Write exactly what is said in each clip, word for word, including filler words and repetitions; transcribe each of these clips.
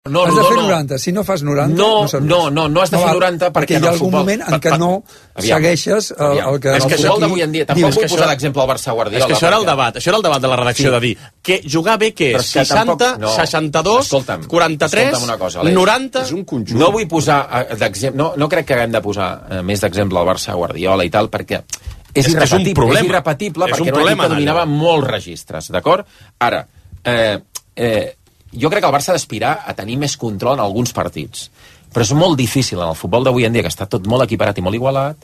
No, has de fer no. noranta. Si no fas noranta, no, no serveix. No, no, no has de fer noranta perquè, perquè hi ha algun futbol, moment en què no aviam, segueixes el, aviam. el que... És que el això aquí... d'avui en dia, tampoc vull posar l'exemple al Barça Guardiola. És que això era el debat, això era el debat de la redacció, Sí. de dir que jugar bé que és seixanta, no. seixanta-dos, Escolta'm, quaranta-tres, escolta'm una cosa, Aleix. noranta... És un conjunt. No vull posar eh, d'exemple, no, no crec que haguem de posar eh, més d'exemple al Barça Guardiola i tal, perquè és, És que és un irrepetible, problema. és irrepetible És perquè un era un problema, equip que dominava allò. molts registres, d'acord? Ara, eh, eh, jo crec que el Barça ha d'aspirar a tenir més control en alguns partits, però és molt difícil en el futbol d'avui en dia, que està tot molt equiparat i molt igualat,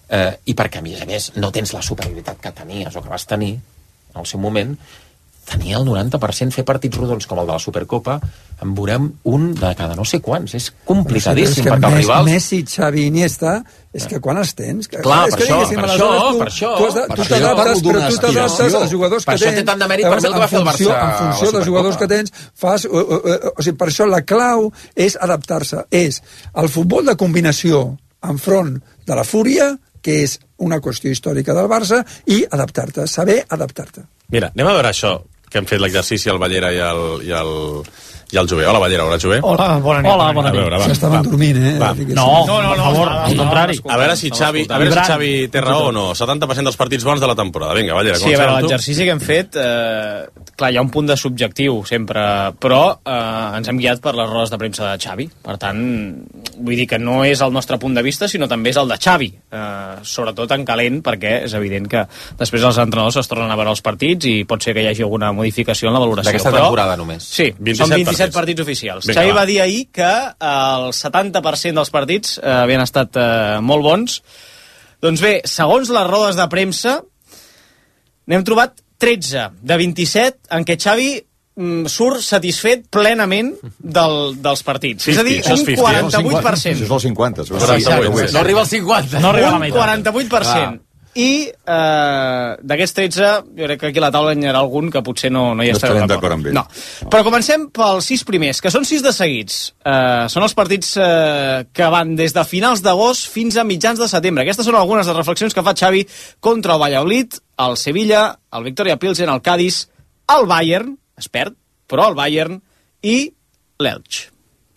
eh, i perquè, a més a més, no tens la superioritat que tenies o que vas tenir al seu moment. Tenia el noranta per cent fer partits rodons com el de la Supercopa, en veurem un de cada no sé quants. És complicadíssim, sí, perquè els rivals... Messi, Xavi, Iniesta, és que quan els tens... Clar, és per que, això, diguéssim, per aleshores això, tu, per això. Tu, has de, Per tu això jo t'adaptes, parlo d'una però tu t'adaptes aspiració. als jugadors Per que això tens. té tant de mèrit per mi el que va fer el En funció, Barça en funció a la dels jugadors que Supercopa. tens, fas... O, o, o, o sigui, per això la clau és adaptar-se. És el futbol de combinació enfront de la fúria, que és una qüestió històrica del Barça, i adaptar-te, saber adaptar-te. Mira, anem a veure això, que hem fet l'exercici al Ballera i al, i al, i al Jové. Hola, Ballera, hola, Jové. Hola, bona nit. Hola, bona nit. A veure, va. S'estaven dormint, eh? Va. No, no, no, per favor, al contrari. A veure si Xavi, a veure si Xavi té raó o no. setanta per cent dels partits bons de la temporada. Vinga, Ballera, Sí, a veure, comencem amb tu. l'exercici que hem fet, eh, clar, hi ha un punt de subjectiu sempre, però eh, ens hem guiat per les rodes de premsa de Xavi. Per tant, vull dir que no és el nostre punt de vista, sinó també és el de Xavi. Eh, sobretot en calent, perquè és evident que després els entrenadors es tornen a veure els partits i pot ser que hi hagi alguna modificació en la valoració. D'aquesta però, temporada només. Sí, vint-i-set són vint-i-set partits. partits oficials. Vinga, Xavi va. va dir ahir que el setanta per cent dels partits eh, havien estat eh, molt bons. Doncs bé, segons les rodes de premsa, n'hem trobat tretze de vint-i-set en què Xavi mm, surt satisfet plenament del, dels partits. cinquanta, és a dir, això és un cinquanta, quaranta-vuit per cent. Això és el cinquanta. Això és quaranta-vuit. No arriba al cinquanta. No arriba a la meitat. Un quaranta-vuit per cent. I eh, d'aquests tretze, jo crec que aquí a la taula hi ha algun que potser no, no hi No estarem estarem d'acord. d'acord amb ell. No. Però comencem pels sis primers, que són sis de seguits. Eh, són els partits eh, que van des de finals d'agost fins a mitjans de setembre. Aquestes són algunes de les reflexions que fa Xavi contra el Valladolid, el Sevilla, el Victoria Pilsen, el Cádiz, el Bayern, es perd, però el Bayern, i l'Elx.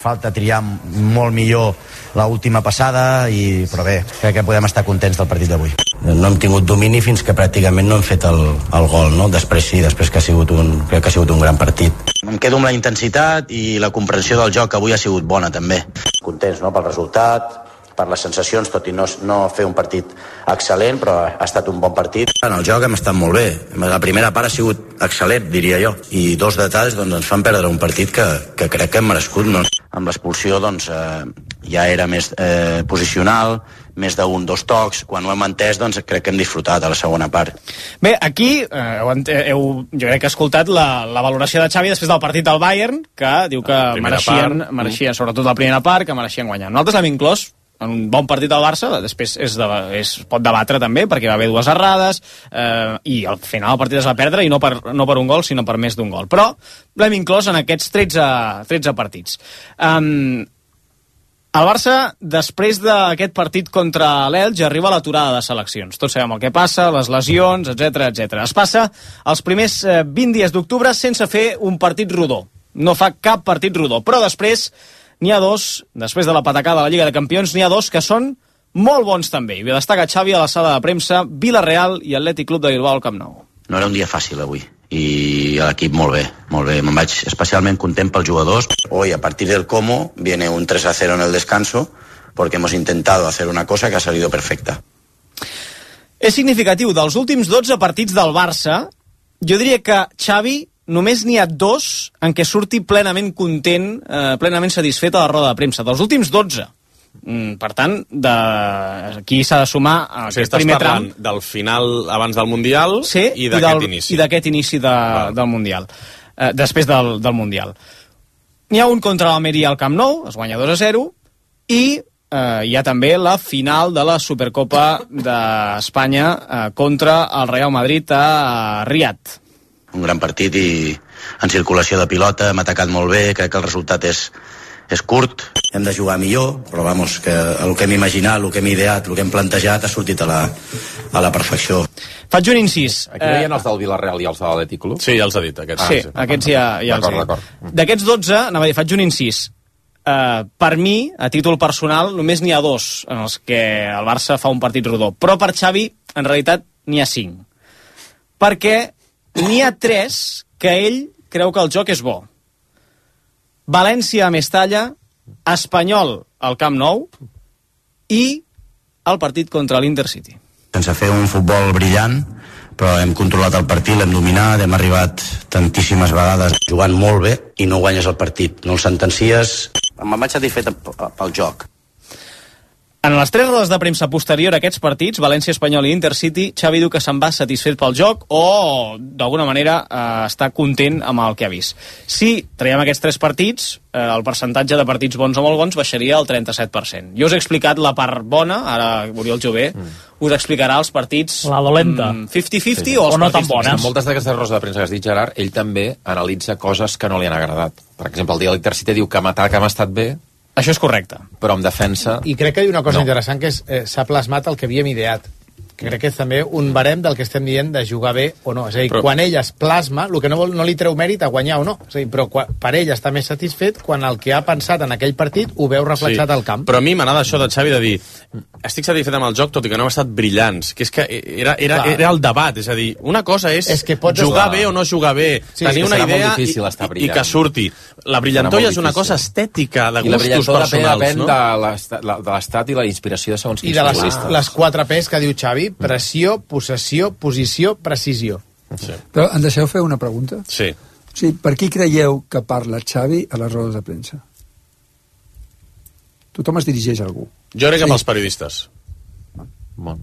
Falta triar molt millor l'última passada, i, però bé, crec que podem estar contents del partit d'avui. No hem tingut domini fins que pràcticament no hem fet el, el gol, no? Després sí, després que ha sigut un, crec que ha sigut un gran partit. Em quedo amb la intensitat i la comprensió del joc, que avui ha sigut bona també. Contents, no?, pel resultat, per les sensacions, tot i no, no fer un partit excel·lent, però ha estat un bon partit. En el joc hem estat molt bé. La primera part ha sigut excel·lent, diria jo. I dos detalls doncs, ens fan perdre un partit que, que crec que hem merescut. No? Amb l'expulsió doncs, eh, ja era més eh, posicional, més d'un, dos tocs. Quan ho hem entès, doncs, crec que hem disfrutat a la segona part. Bé, aquí eh, heu, heu, jo crec que he escoltat la, la valoració de Xavi després del partit del Bayern, que diu que mereixien, part. mereixien, sobretot la primera part, que mereixien guanyar. Nosaltres l'hem inclòs en un bon partit del Barça, després és de, és, pot debatre també, perquè va haver dues errades, eh, i al final el partit es va perdre, i no per, no per un gol, sinó per més d'un gol. Però l'hem inclòs en aquests tretze, tretze partits. Um, el Barça, després d'aquest partit contra l'Elx, arriba a l'aturada de seleccions. Tots sabem el que passa, les lesions, etcètera, etcètera. Es passa els primers eh, vint dies d'octubre sense fer un partit rodó. No fa cap partit rodó, però després n'hi ha dos, després de la patacada de la Lliga de Campions, n'hi ha dos que són molt bons també. I destaca Xavi a la sala de premsa, Villarreal i Atlètic Club de Bilbao al Camp Nou. No era un dia fàcil avui, i l'equip molt bé, molt bé. Me'n vaig especialment content pels jugadors. Hoy, a partir del cómo, viene un tres a cero en el descanso, porque hemos intentado hacer una cosa que ha salido perfecta. És significatiu, dels últims dotze partits del Barça, jo diria que Xavi només n'hi ha dos en què surti plenament content, eh, plenament satisfet a la roda de premsa. Dels últims dotze. Mm, per tant, de... aquí s'ha de sumar O sigui, aquest estàs primer parlant tram. del final abans del Mundial Sí, i d'aquest inici. I d'aquest inici de, del Mundial. Eh, després del, del Mundial. N'hi ha un contra l'Almeria al Camp Nou, es guanya dos a zero, i eh, hi ha també la final de la Supercopa d'Espanya eh, contra el Real Madrid a Riad. Un gran partit i en circulació de pilota, hem atacat molt bé, crec que el resultat és, és curt. hem de jugar millor, però vamos, que el que hem imaginat, el que hem ideat, el que hem plantejat ha sortit a la, a la perfecció. Faig un incís. Aquí no hi ha els del Villarreal i els de l'Atlètic Club? Sí, ja els ha dit, aquests. Ah, sí, aquests ja, ja els he dit. D'aquests dotze, anava a dir, faig un incís. Uh, per mi, a títol personal, només n'hi ha dos en els que el Barça fa un partit rodó. Però per Xavi, en realitat, n'hi ha cinc. Perquè n'hi ha tres que ell creu que el joc és bo. València a Mestalla, Espanyol al Camp Nou i el partit contra l'Intercity. Sense fer un futbol brillant, però hem controlat el partit, l'hem dominat, hem arribat tantíssimes vegades jugant molt bé i no guanyes el partit. No el sentencies. Me'n vaig satisfet pel joc. En les tres rodes de premsa posterior a aquests partits, València, Espanyol i Intercity, Xavi diu que se'n va satisfet pel joc o, d'alguna manera, eh, està content amb el que ha vist. Si traiem aquests tres partits, eh, el percentatge de partits bons o molt bons baixaria al trenta-set per cent. Jo us he explicat la part bona, ara Oriol Jové mm. us explicarà els partits... La dolenta. Mm, cinquanta cinquanta sí. o, o els no tan bones. En moltes d'aquestes rodes de premsa que has dit, Gerard, ell també analitza coses que no li han agradat. Per exemple, el dia de l'Intercity diu que amb atac hem estat bé. Això és correcte. Però amb defensa... I crec que hi ha una cosa no. interessant, que és eh, s'ha plasmat el que havíem ideat. Que crec que és també un barem del que estem dient de jugar bé o no. És a dir, però... quan ell es plasma, el que no, vol, no li treu mèrit a guanyar o no. És a dir, però quan, per ell està més satisfet quan el que ha pensat en aquell partit ho veu reflexat sí. al camp. Però a mi m'agrada això de Xavi de dir estic satisfet amb el joc, tot i que no hem estat brillants. Que és que era, era, era el debat. És a dir, una cosa és, és que pots jugar estar... bé o no jugar bé, sí, tenir una idea i, i que surti. La brillantor és una cosa estètica, de gustos personals. I la brillantor depèn de l'estat i la inspiració de segons quins futbolistes. I de les, les quatre P's que diu Xavi, pressió, possessió, posició, precisió. Sí. Però em deixeu fer una pregunta? Sí. O sigui, per qui creieu que parla Xavi a les rodes de premsa? Tothom es dirigeix a algú. Jo crec que sí. pels periodistes. Bon.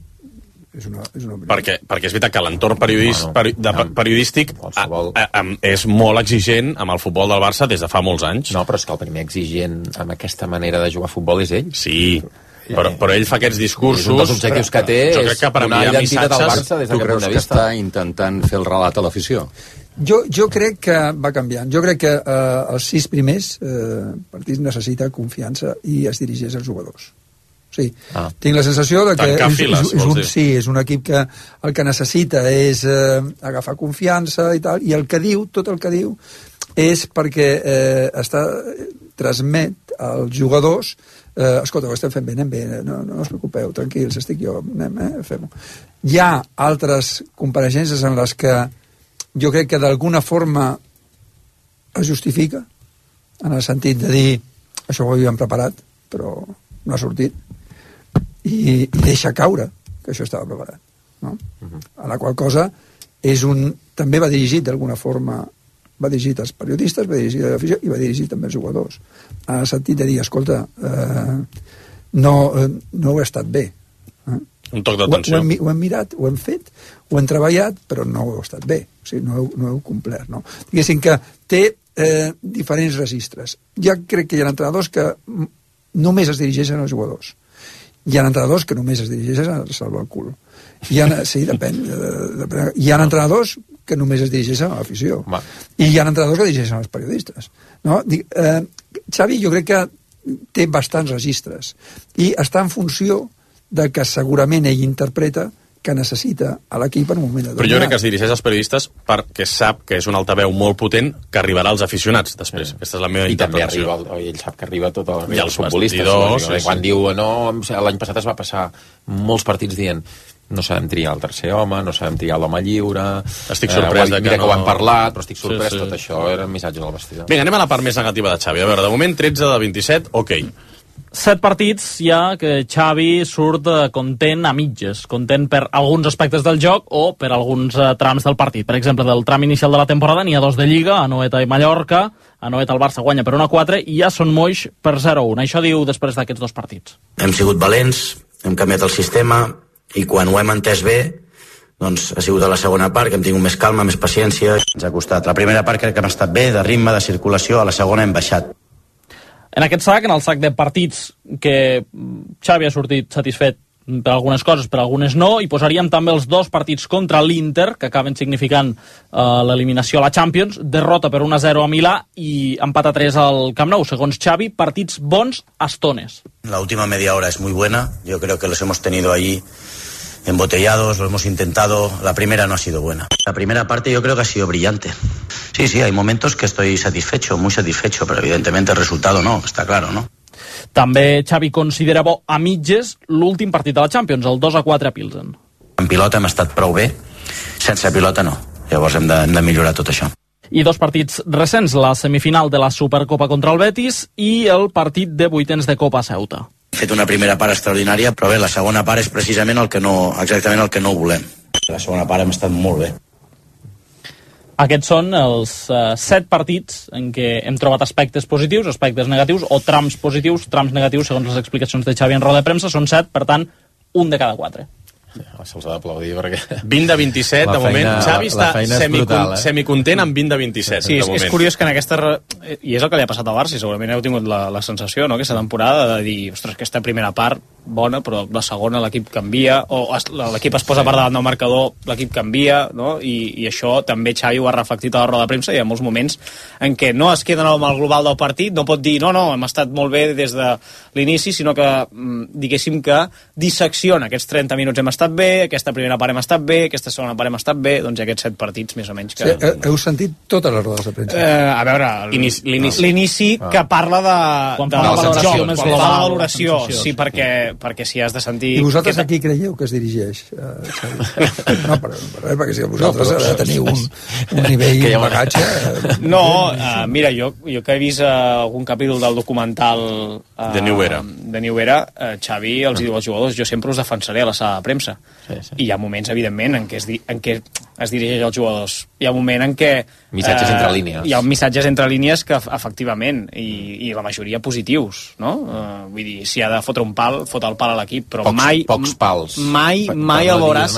És una, és una perquè, perquè és veritat que l'entorn periodis, bueno, peri, de, periodístic a, a, a, és molt exigent amb el futbol del Barça des de fa molts anys. No, però és que el primer exigent amb aquesta manera de jugar a futbol és ell. Sí, però, però ell fa aquests discursos... És un dels objectius que té, jo crec que per una identitat missatges, del Barça des d'aquest punt de vista. Està intentant fer el relat a l'afició? Jo, jo crec que va canviant. Jo crec que eh, els sis primers eh, partits necessita confiança i es dirigeix als jugadors. Sí, ah. tinc la sensació de que és, files, és, és, un, sí, és un equip que el que necessita és eh, agafar confiança i tal, i el que diu, tot el que diu, és perquè eh, està transmet als jugadors eh, escolta, ho estem fent bé, anem bé, no, no us preocupeu, tranquils, estic jo, anem, eh, fem-ho. Hi ha altres compareixences en les que jo crec que d'alguna forma es justifica, en el sentit de dir això ho havíem preparat, però no ha sortit, i, i deixa caure que això estava preparat, no? Uh-huh. A la qual cosa és un, també va dirigit d'alguna forma, va dirigit als periodistes, va dirigit a l'afició i va dirigit també als jugadors, en el sentit de dir, escolta, eh, no, eh, no ho ha estat bé, eh? Un toc d'atenció. Ho, ho, hem, ho hem mirat, ho hem fet, ho hem treballat, però no ho ha estat bé, o sigui, no heu, no heu complert, no? Diguéssim que té eh, diferents registres. Ja crec que hi ha entrenadors que només es dirigeixen als jugadors. Hi ha entrenadors que només es dirigeixen a salvar el cul. Hi ha, sí, depèn, depèn. Hi ha entrenadors que només es dirigeixen a l'afició. I hi ha entrenadors que dirigeixen als periodistes. No? Eh, Xavi jo crec que té bastants registres i està en funció de que segurament ell interpreta que necessita a l'equip en un moment determinat. Però jo crec que es dirigeix als periodistes perquè sap que és un altaveu molt potent que arribarà als aficionats després. Sí. Aquesta és la meva I interpretació. I també arriba, ell sap que arriba tot el, I els futbolistes. Bastidors, sí, quan sí. diu, no, l'any passat es va passar molts partits dient no sabem triar el tercer home, no sabem triar l'home lliure... Estic sorprès eh, de que mira no... que ho han parlat, però estic sorprès, sí, sí. tot això era missatge del vestidor. Vinga, anem a la part més negativa de Xavi. A veure, de moment tretze de vint-i-set, ok. Set partits ja que Xavi surt content a mitges, content per alguns aspectes del joc o per alguns uh, trams del partit. Per exemple, del tram inicial de la temporada n'hi ha dos de Lliga, Anoeta i Mallorca. Anoeta el Barça guanya per una quatre i ja són moix per zero a un. Això diu després d'aquests dos partits. Hem sigut valents, hem canviat el sistema i quan ho hem entès bé doncs ha sigut a la segona part que hem tingut més calma, més paciència. Ens ha costat. La primera part crec que hem estat bé, de ritme, de circulació, a la segona hem baixat. En aquest sac, en el sac de partits que Xavi ha sortit satisfet per algunes coses, per algunes no, i posaríem també els dos partits contra l'Inter, que acaben significant uh, l'eliminació a la Champions, derrota per un a zero a Milà i empat a tres al Camp Nou. Segons Xavi, partits bons a estones. La última media hora es muy buena, yo creo que los hemos tenido ahí embotellados, lo hemos intentado. La primera no ha sido buena. La primera parte yo creo que ha sido brillante. Sí, sí, hay momentos que estoy satisfecho, muy satisfecho, pero evidentemente el resultado no, está claro, ¿no? També Xavi considera bo a mitges l'últim partit de la Champions, el dos a quatre a Pilsen. En pilota hem estat prou bé, sense pilota no. Llavors hem de, hem de millorar tot això. I dos partits recents, la semifinal de la Supercopa contra el Betis i el partit de vuitens de Copa a Ceuta. He fet una primera part extraordinària, però bé, la segona part és precisament el que no, exactament el que no volem. La segona part hem estat molt bé. Aquests són els uh, set partits en què hem trobat aspectes positius, aspectes negatius, o trams positius, trams negatius, segons les explicacions de Xavi en roda de premsa. Són set, per tant, un de cada quatre. Sí, se'ls ha d'aplaudir perquè... vint de vint-i-set, de moment. Xavi està semicontent eh? semicontent amb vint de vint-i-set. Sí, de és, moment. és curiós que en aquesta... I és el que li ha passat al Barça, i segurament heu tingut la, la sensació, no?, aquesta temporada, de dir, ostres, aquesta primera part, bona, però la segona l'equip canvia, o es, l'equip es posa per davant del marcador, l'equip canvia, no?, I, i això també Xavi ho ha reflectit a la roda de premsa. Hi ha molts moments en què no es queden amb el global del partit, no pot dir, no, no, hem estat molt bé des de l'inici, sinó que, diguéssim que dissecciona aquests trenta minuts hem estat bé, aquesta primera part hem estat bé, aquesta segona part hem estat bé, doncs aquests set partits més o menys que... Sí, heu sentit totes les rodes de premsa? Eh, a veure, l'inici no. que parla de, quan de, fa la valoració joc, més quan global, fa la valoració, la sí, perquè, perquè si has de sentir... I vosaltres que... a qui creieu que es dirigeix? Uh, no, per, per res, perquè si vosaltres no, però... teniu un, un nivell de bagatge... Uh, no, uh, mira, jo, jo que he vist uh, algun capítol del documental uh, de New Era, de New Era uh, Xavi els diu als jugadors, jo sempre us defensaré a la sala de premsa. Sí, sí. I hi ha moments, evidentment, en què es, di en què es dirigeix als jugadors. Hi ha un moment en què... Missatges eh, entre línies. Hi ha missatges entre línies que, efectivament, i, i la majoria positius, no? Uh, vull dir, si ha de fotre un pal, fot el pal a l'equip, però pocs, mai... Pocs pals. Mai, per, mai per el no veuràs,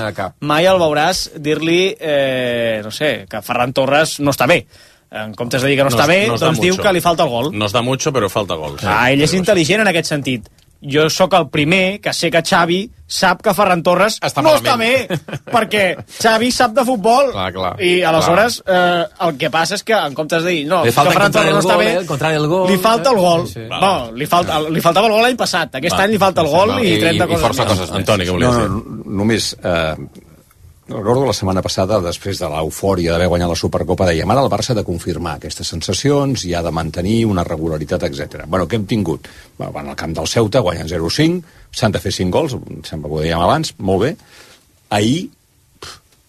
mai el veuràs dir-li, eh, no sé, que Ferran Torres no està bé. En comptes de dir que no, no està bé, no doncs diu que li falta el gol. No es da mucho, però falta gol. Sí. Ah, ell és intel·ligent en aquest sentit. Jo sóc el primer que sé que Xavi sap que Ferran Torres està no malament. està bé, perquè Xavi sap de futbol, clar, clar, i aleshores eh, el que passa és que en comptes de dir no, que Ferran Torres no està bé, el gol, li falta el gol. Sí, sí. No, li, falta, li faltava el gol l'any passat, aquest Va, any li falta el gol i, i trenta i, coses, i força coses més. Antoni, què volies no, dir? No, només... Eh, recordo la setmana passada, després de l'eufòria d'haver guanyat la Supercopa, dèiem, ara el Barça ha de confirmar aquestes sensacions i ha de mantenir una regularitat, etcètera. Bueno, què hem tingut? Bueno, van al camp del Ceuta, guanyen zero cinc, s'han de fer cinc gols, sembla que ho dèiem abans, molt bé. Ahir,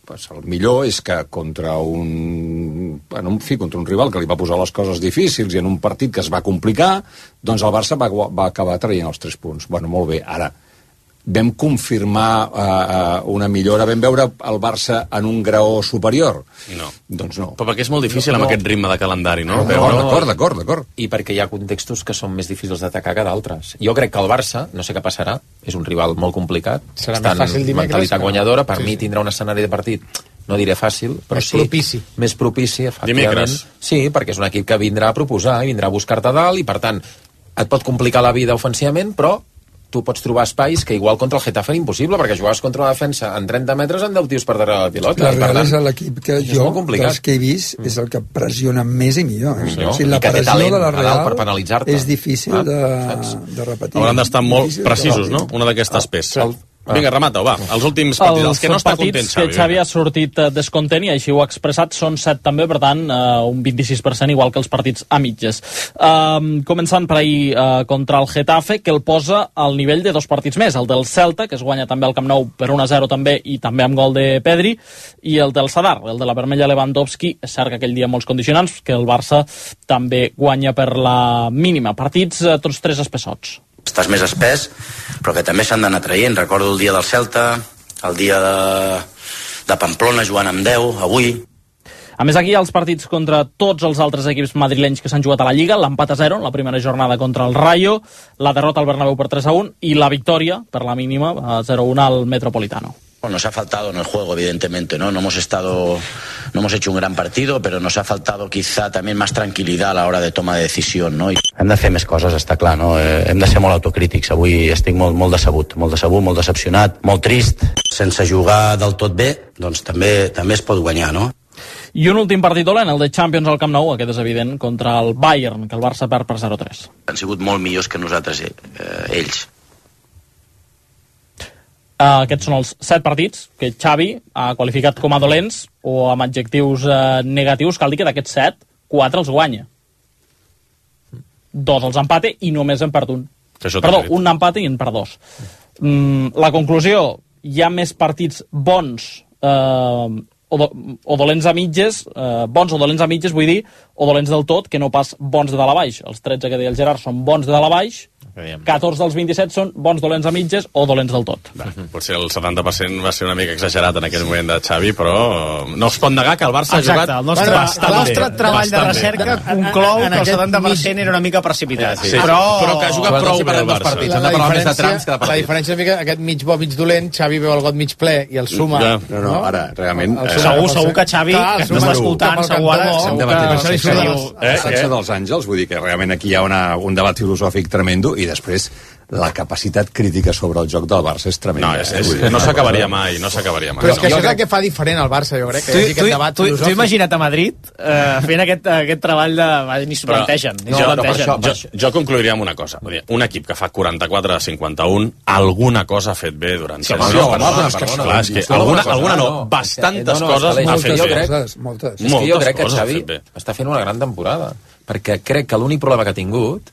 pues, el millor és que contra un, bueno, en fi, contra un rival que li va posar les coses difícils i en un partit que es va complicar, doncs el Barça va, va acabar traient els tres punts. Bueno, molt bé, ara vam confirmar uh, una millora, vam veure el Barça en un graó superior? No. Doncs no. Però perquè és molt difícil no, no. amb aquest ritme de calendari, no? no, no d'acord, d'acord, d'acord. I perquè hi ha contextos que són més difícils d'atacar que d'altres. Jo crec que el Barça, no sé què passarà, és un rival molt complicat, serà està més fàcil en mentalitat que... guanyadora, per sí, mi sí. tindrà un escenari de partit, no diré fàcil, però més sí, propici. més propici, efectivament. Dimecres. Sí, perquè és un equip que vindrà a proposar, i vindrà a buscar-te dalt, i per tant, et pot complicar la vida ofensivament, però tu pots trobar espais que igual contra el Getafe era impossible, perquè jugaves contra la defensa en trenta metres en deu tios per darrere la pilota. La Real és l'equip que jo, dels que he vist, és el que pressiona més i millor. Eh? millor. O sigui, la I que té pressió talent de la Real per penalitzar-te. és difícil ah, de, de repetir. Hauran d'estar molt precisos, no? Una d'aquestes peces. El... Vinga, remata-ho, va. Els últims partits, els que no està content, Xavi. Els que Xavi ha sortit descontent, i així ho ha expressat, són set també, per tant, uh, un vint-i-sis per cent, igual que els partits a mitges. Uh, començant per ahir uh, contra el Getafe, que el posa al nivell de dos partits més. El del Celta, que es guanya també al Camp Nou per un a zero també, i també amb gol de Pedri, i el del Sadar, el de la vermella Lewandowski. És cert que aquell dia molts condicionants, que el Barça també guanya per la mínima. Partits uh, tots tres espessots. Estàs més espès, però que també s'han d'anar traient. Recordo el dia del Celta, el dia de, de Pamplona jugant amb deu, avui. A més, aquí hi ha els partits contra tots els altres equips madrilenys que s'han jugat a la Lliga, l'empat a zero en la primera jornada contra el Rayo, la derrota al Bernabéu per tres a un i la victòria, per la mínima, a zero a un al Metropolitano. Nos ha faltado en el juego, evidentemente, ¿no? No hemos estado, no hemos hecho un gran partido, pero nos ha faltado quizá también más tranquil·litat a l'hora de toma de decisió, no? Hem de fer més coses, està clar, no? Eh, hem de ser molt autocrítics. Avui estic molt, molt decebut, molt decebut, molt decepcionat, molt trist. Sense jugar del tot bé, doncs també, també es pot guanyar, no? I un últim partit dolent, el de Champions al Camp Nou, aquest és evident, contra el Bayern, que el Barça perd per zero tres. Han sigut molt millors que nosaltres, eh, ells. Uh, aquests són els set partits que Xavi ha qualificat com a dolents o amb adjectius uh, negatius. Cal dir que d'aquests set, quatre els guanya. Dos els empate i només en perd un. Perdó, un empate i en perd dos. Mm, la conclusió, hi ha més partits bons uh, o, do, o dolents a mitges, uh, bons o dolents a mitges, vull dir, o dolents del tot, que no pas bons de dalt a baix. Els tretze que deia el Gerard són bons de dalt a baix, catorze dels vint-i-set són bons dolents a mitges o dolents del tot. Va, potser el setanta per cent va ser una mica exagerat en aquell moment de Xavi, però no es pot negar que el Barça Exacte, ha jugat el nostre, bastant el nostre bé. treball bastant de recerca conclou que el setanta per cent era una mica precipitat. Sí, sí. Però, però que ha jugat prou bé el Barça. Partits, la, la, diferència, la diferència és que aquest mig bo, mig dolent, Xavi veu el got mig ple i el suma. Ja. No, no, ara, realment... Eh, segur, segur que Xavi, que no està escoltant, segur ara... Estem debatent el sexe dels àngels, vull dir que realment aquí hi ha una, un debat filosòfic tremendo i després la capacitat crítica sobre el joc del Barça és tremenda. No, és, és, no s'acabaria mai, no s'acabaria mai. Però és que això és el que fa diferent al Barça, jo crec, que hi hagi aquest debat tu, filosòfic. tu imagina't a Madrid eh, fent aquest, aquest treball de... Ni s'ho plantegen. Ni jo, no, plantegen. Jo, jo concluiria amb una cosa. Un equip que fa quaranta-quatre a cinquanta-un, alguna cosa ha fet bé durant sí, set anys. Clar, és que alguna, alguna no, bastantes coses ha fet bé. Moltes. És que jo crec que Xavi està fent una gran temporada, perquè crec que l'únic problema que ha tingut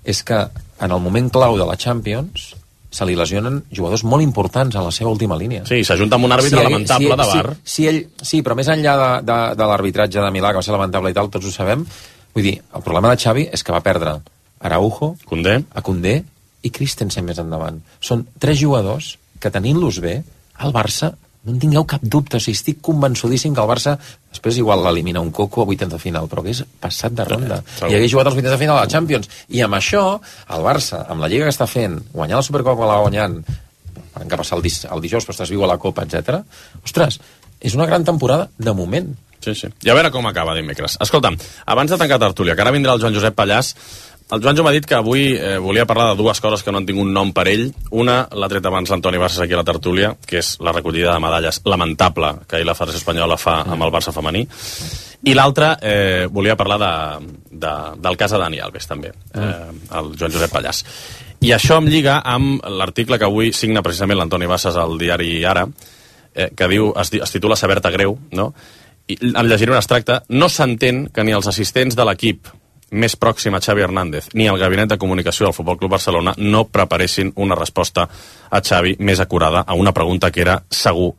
és que en el moment clau de la Champions se li lesionen jugadors molt importants a la seva última línia. Sí, s'ajunta amb un àrbitre sí, lamentable sí, de bar. Sí, sí, ell, sí, però més enllà de, de, de l'arbitratge de Milà, que va ser lamentable i tal, tots ho sabem, vull dir, el problema de Xavi és que va perdre Araujo, Koundé, a Koundé i Christensen més endavant. Són tres jugadors que tenint-los bé, el Barça, no en tingueu cap dubte, o sigui, estic convençudíssim que el Barça després igual l'elimina un coco a vuitens de final, però que és passat de ronda. Sí, i hagués jugat als vuitens de final a la Champions. I amb això, el Barça, amb la Lliga que està fent, guanyar la Supercopa que la va guanyant, que passa el, el dijous, però estàs viu a la Copa, etcètera. Ostres, és una gran temporada de moment. Sí, sí. I a veure com acaba dimecres. Escolta'm, abans de tancar tertúlia, que ara vindrà el Joan Josep Pallàs, el Joanjo m'ha dit que avui eh, volia parlar de dues coses que no han tingut nom per ell. Una, l'ha tret abans l'Antoni Bassas aquí a la tertúlia, que és la recollida de medalles lamentable que ahir la Federació Espanyola fa amb el Barça femení. I l'altra, eh, volia parlar de, de, del cas de Dani Alves, també, eh, el Joan Josep Pallàs. I això em lliga amb l'article que avui signa precisament l'Antoni Bassas al diari Ara, eh, que diu, es, es titula Saber-te greu, no? I en llegiré un extracte. No s'entén que ni els assistents de l'equip més pròxim a Xavi Hernández ni el gabinet de comunicació del Futbol Club Barcelona no preparessin una resposta a Xavi més acurada a una pregunta que era segur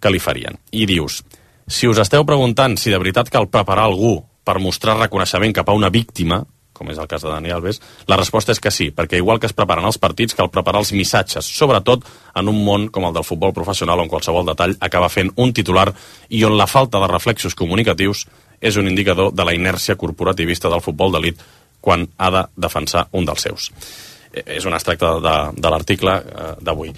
que li farien. I dius, si us esteu preguntant si de veritat cal preparar algú per mostrar reconeixement cap a una víctima, com és el cas de Dani Alves, la resposta és que sí, perquè igual que es preparen els partits, cal preparar els missatges, sobretot en un món com el del futbol professional on qualsevol detall acaba fent un titular i on la falta de reflexos comunicatius és un indicador de la inèrcia corporativista del futbol d'elit quan ha de defensar un dels seus. És un extracte de, de l'article eh, d'avui.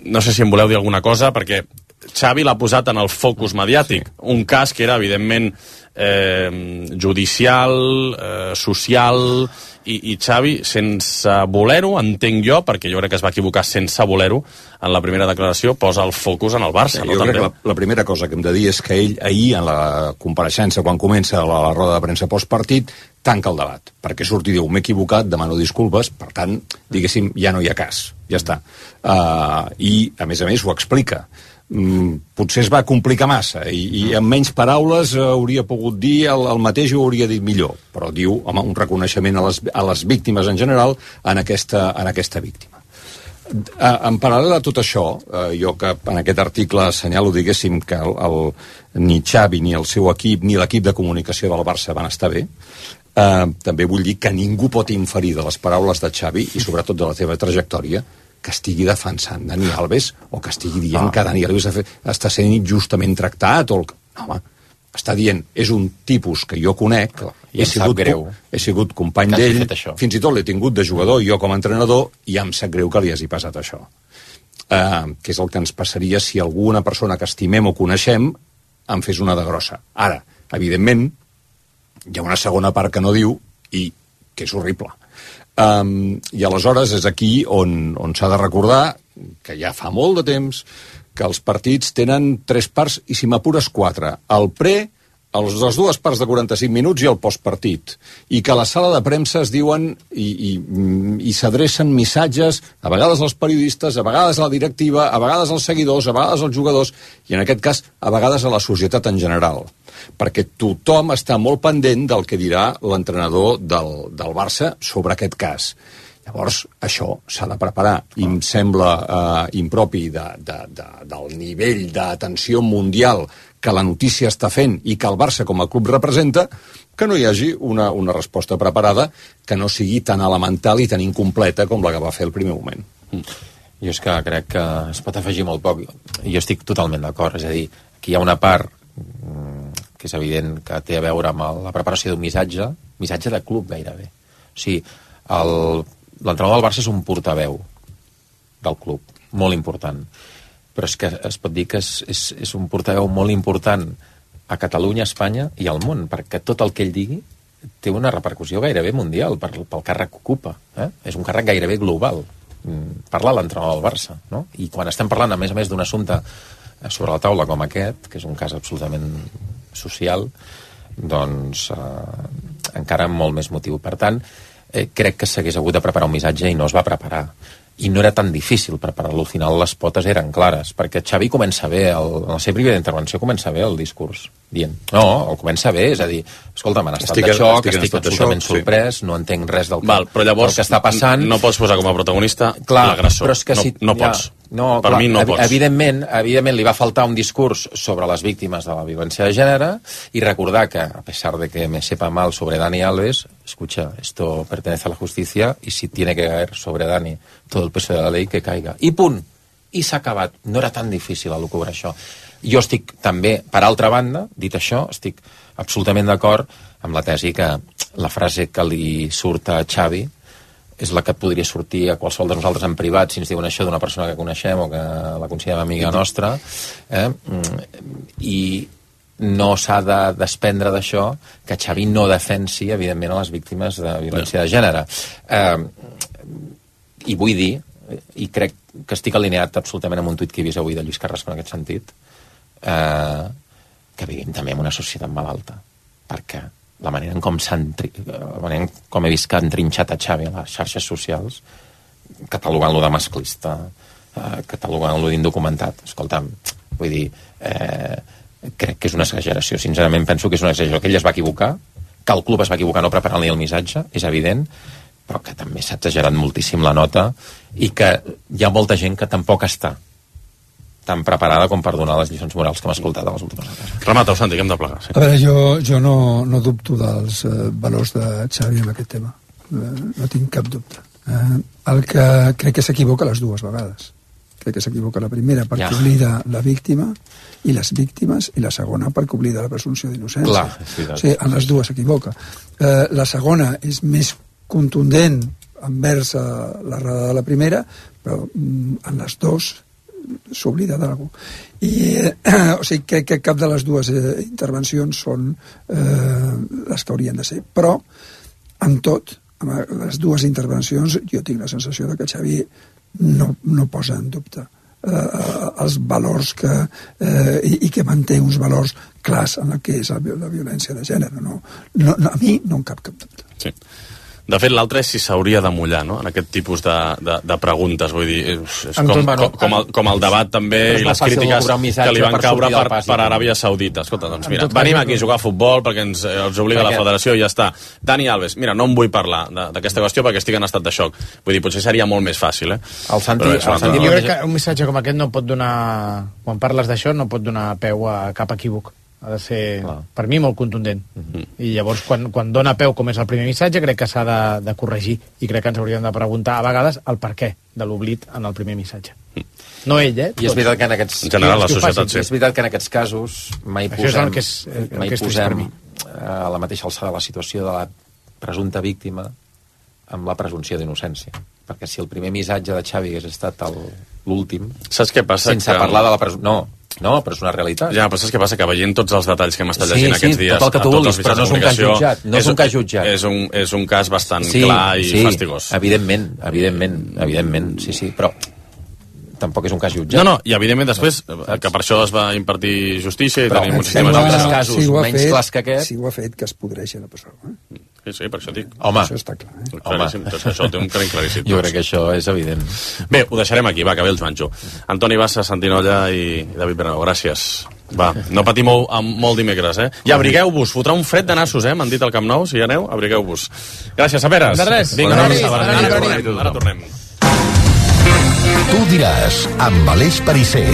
No sé si em voleu dir alguna cosa, perquè Xavi l'ha posat en el focus mediàtic. Sí. Un cas que era, evidentment, eh, judicial, eh, social, i, i Xavi, sense voler-ho, entenc jo, perquè jo crec que es va equivocar sense voler-ho, en la primera declaració posa el focus en el Barça. Sí, no, jo també? crec que la, la primera cosa que hem de dir és que ell ahir, en la compareixença, quan comença la, la roda de premsa postpartit, tanca el debat, perquè surti i diu, m'he equivocat, demano disculpes, per tant, diguéssim, ja no hi ha cas, ja està. Uh, I, a més a més, ho explica. Mm, potser es va complicar massa i, i amb menys paraules hauria pogut dir el, el mateix o hauria dit millor, però diu home, un reconeixement a les, a les víctimes en general en aquesta, en aquesta víctima. En paral·lel a tot això, jo que en aquest article assenyalo, diguéssim, que el, el, ni Xavi ni el seu equip ni l'equip de comunicació del Barça van estar bé, eh, també vull dir que ningú pot inferir de les paraules de Xavi i sobretot de la seva trajectòria que estigui defensant Dani Alves o que estigui dient ah. que Dani Alves està sent injustament tractat o el... no, home, està dient, és un tipus que jo conec, he sigut, he sigut company d'ell, fins i tot l'he tingut de jugador, jo com a entrenador, i em sap greu que li hagi passat això. eh, que és el que ens passaria si alguna persona que estimem o coneixem en fes una de grossa. Ara, evidentment, hi ha una segona part que no diu i que és horrible. Um, I aleshores és aquí on, on s'ha de recordar que ja fa molt de temps que els partits tenen tres parts i, si m'apures, quatre. El pre, els, les dues parts de quaranta-cinc minuts i el postpartit. I que a la sala de premsa es diuen i, i, i s'adrecen missatges, a vegades als periodistes, a vegades a la directiva, a vegades als seguidors, a vegades als jugadors, i en aquest cas, a vegades a la societat en general. Perquè tothom està molt pendent del que dirà l'entrenador del, del Barça sobre aquest cas. Llavors, això s'ha de preparar. I em sembla eh, impropi de, de, de, del nivell d'atenció mundial que la notícia està fent i que el Barça com a club representa, que no hi hagi una, una resposta preparada que no sigui tan elemental i tan incompleta com la que va fer el primer moment. Mm. Jo és que crec que es pot afegir molt poc. Jo estic totalment d'acord. És a dir, aquí hi ha una part que és evident que té a veure amb la preparació d'un missatge, missatge de club gairebé. O sigui, el, l'entrenador del Barça és un portaveu del club, molt important. Però és que es pot dir que és, és, és un portaveu molt important a Catalunya, a Espanya i al món, perquè tot el que ell digui té una repercussió gairebé mundial per, pel càrrec que ocupa. Eh? És un càrrec gairebé global. Parla l'entrenador del Barça, no? I quan estem parlant, a més a més, d'un assumpte sobre la taula com aquest, que és un cas absolutament social, doncs eh, encara amb molt més motiu. Per tant, eh, crec que s'hagués hagut de preparar un missatge i no es va preparar. I no era tan difícil preparar-lo. Al final les potes eren clares, perquè Xavi comença bé, el, en la seva primera intervenció comença bé el discurs, dient, no, el comença bé, és a dir, escolta, m'han estat estic, de xoc, estic, estic absolutament xoc, sorprès, sí. No entenc res del que, Val, però llavors, del que està passant. No pots posar com a protagonista l'agressor. Però és que no, si, no pots. Ja, no, per clar, mi no pots. Evidentment, evidentment li va faltar un discurs sobre les víctimes de la violència de gènere i recordar que, a pesar de que me sepa mal sobre Dani Alves, escucha, esto pertenece a la justicia y si tiene que caer sobre Dani todo el peso de la ley, que caiga. I punt. I s'ha acabat. No era tan difícil elucubrar això. Jo estic també, per altra banda, dit això, estic absolutament d'acord amb la tesi que la frase que li surt a Xavi és la que podria sortir a qualsevol de nosaltres en privat si ens diuen això d'una persona que coneixem o que la considerem amiga nostra, eh? I no s'ha de desprendre d'això que Xavi no defensi, evidentment, a les víctimes de violència de gènere. Eh, I vull dir, i crec que estic alineat absolutament amb un tuit que he vist avui de Lluís Carrasco en aquest sentit, eh, que vivim també en una societat malalta, perquè la manera en com s'han la manera en com he vist que han trinxat a Xavi a les xarxes socials, catalogant-lo de masclista, eh, catalogant-lo d'indocumentat, escolta'm, vull dir, eh, crec que és una exageració, sincerament penso que és una exageració, que ell es va equivocar, que el club es va equivocar no preparant-li el missatge, és evident, però que també s'ha exagerat moltíssim la nota i que hi ha molta gent que tampoc està tan preparada com per donar les lliçons morals que hem escoltat a les últimes hores. Remata-ho, Santi, que hem de plegar. Sí. A veure, jo, jo no, no dubto dels eh, valors de Xavi en aquest tema. Eh, no tinc cap dubte. Eh, el que crec que s'equivoca les dues vegades. Crec que s'equivoca la primera perquè ja. oblida la víctima i les víctimes, i la segona perquè oblida la presumpció d'innocència. Clar, o sigui, en les dues s'equivoca. Eh, la segona és més contundent envers la errada de la primera, però mm, en les dues s'oblida d'algú. I eh, o sigui, crec que cap de les dues eh, intervencions són eh, les que haurien de ser. Però, en tot, amb les dues intervencions, jo tinc la sensació de que Xavi no, no posa en dubte eh, els valors que, eh, i, i que manté uns valors clars en el que és la violència de gènere. No, no, no, a mi no em cap cap dubte. Sí. De fet, l'altre és si s'hauria de mullar, no?, en aquest tipus de, de, de preguntes. Vull dir, és, és com, com, com, el, com el debat també i les crítiques que li van caure per, per Aràbia Saudita. Escolta, doncs mira, venim aquí a jugar a futbol perquè ens, ens obliga la federació i ja està. Dani Alves, mira, no em vull parlar d'aquesta qüestió perquè estic en estat de xoc. Vull dir, potser seria molt més fàcil, eh? El Santi, el Santi jo crec que un missatge com aquest no pot donar, quan parles d'això, no pot donar peu a cap equívoc. Ha de ser, clar, per mi, molt contundent. Uh-huh. I llavors, quan, quan dona peu, com és el primer missatge, crec que s'ha de, de corregir i crec que ens hauríem de preguntar a vegades el per què de l'oblit en el primer missatge. Uh-huh. No ell, eh? I és veritat que en aquests, en general, la societat, sí. És veritat que en aquests casos mai Això posem, és que és, mai que és posem a la mateixa alçada la situació de la presumpta víctima amb la presumpció d'innocència. perquè si el primer missatge de Xavi hagués estat l'últim... Saps què passa? Sense que... parlar de la presó... No, no, però és una realitat. Ja, però saps què passa? Que veient tots els detalls que hem estat llegint sí, aquests sí, dies... tot el que tu vulguis, però no és un cas jutjat. No és un cas jutjat. És un, és un cas bastant sí, clar i sí, fastigós. evidentment, evidentment, evidentment, sí, sí, però tampoc és un cas jutjat. No, no, i evidentment després, no, que per això es va impartir justícia i però, tenim un sistema d'altres casos si menys fet, clars que aquest... Si ho ha fet, que es podreixi a la presó. Eh? Sí, sí, per això dic. Home, això està clar. Eh? Claríssim, tot això té un crenc claríssim. Jo crec que això és evident. Bé, ho deixarem aquí, va, que ve el Joanjo. Antoni Bassa, Santinolla i David Bernabéu, gràcies. Va, no patimou amb molt dimecres, eh? I abrigueu-vos, fotrà un fred de nassos, eh? M'han dit al Camp Nou, si hi aneu, abrigueu-vos. Gràcies, Saperes. De res. Vinga, Bona ara, nit, ara, bona ara, nit. ara tornem. Tu diràs, amb Aleix Perisser.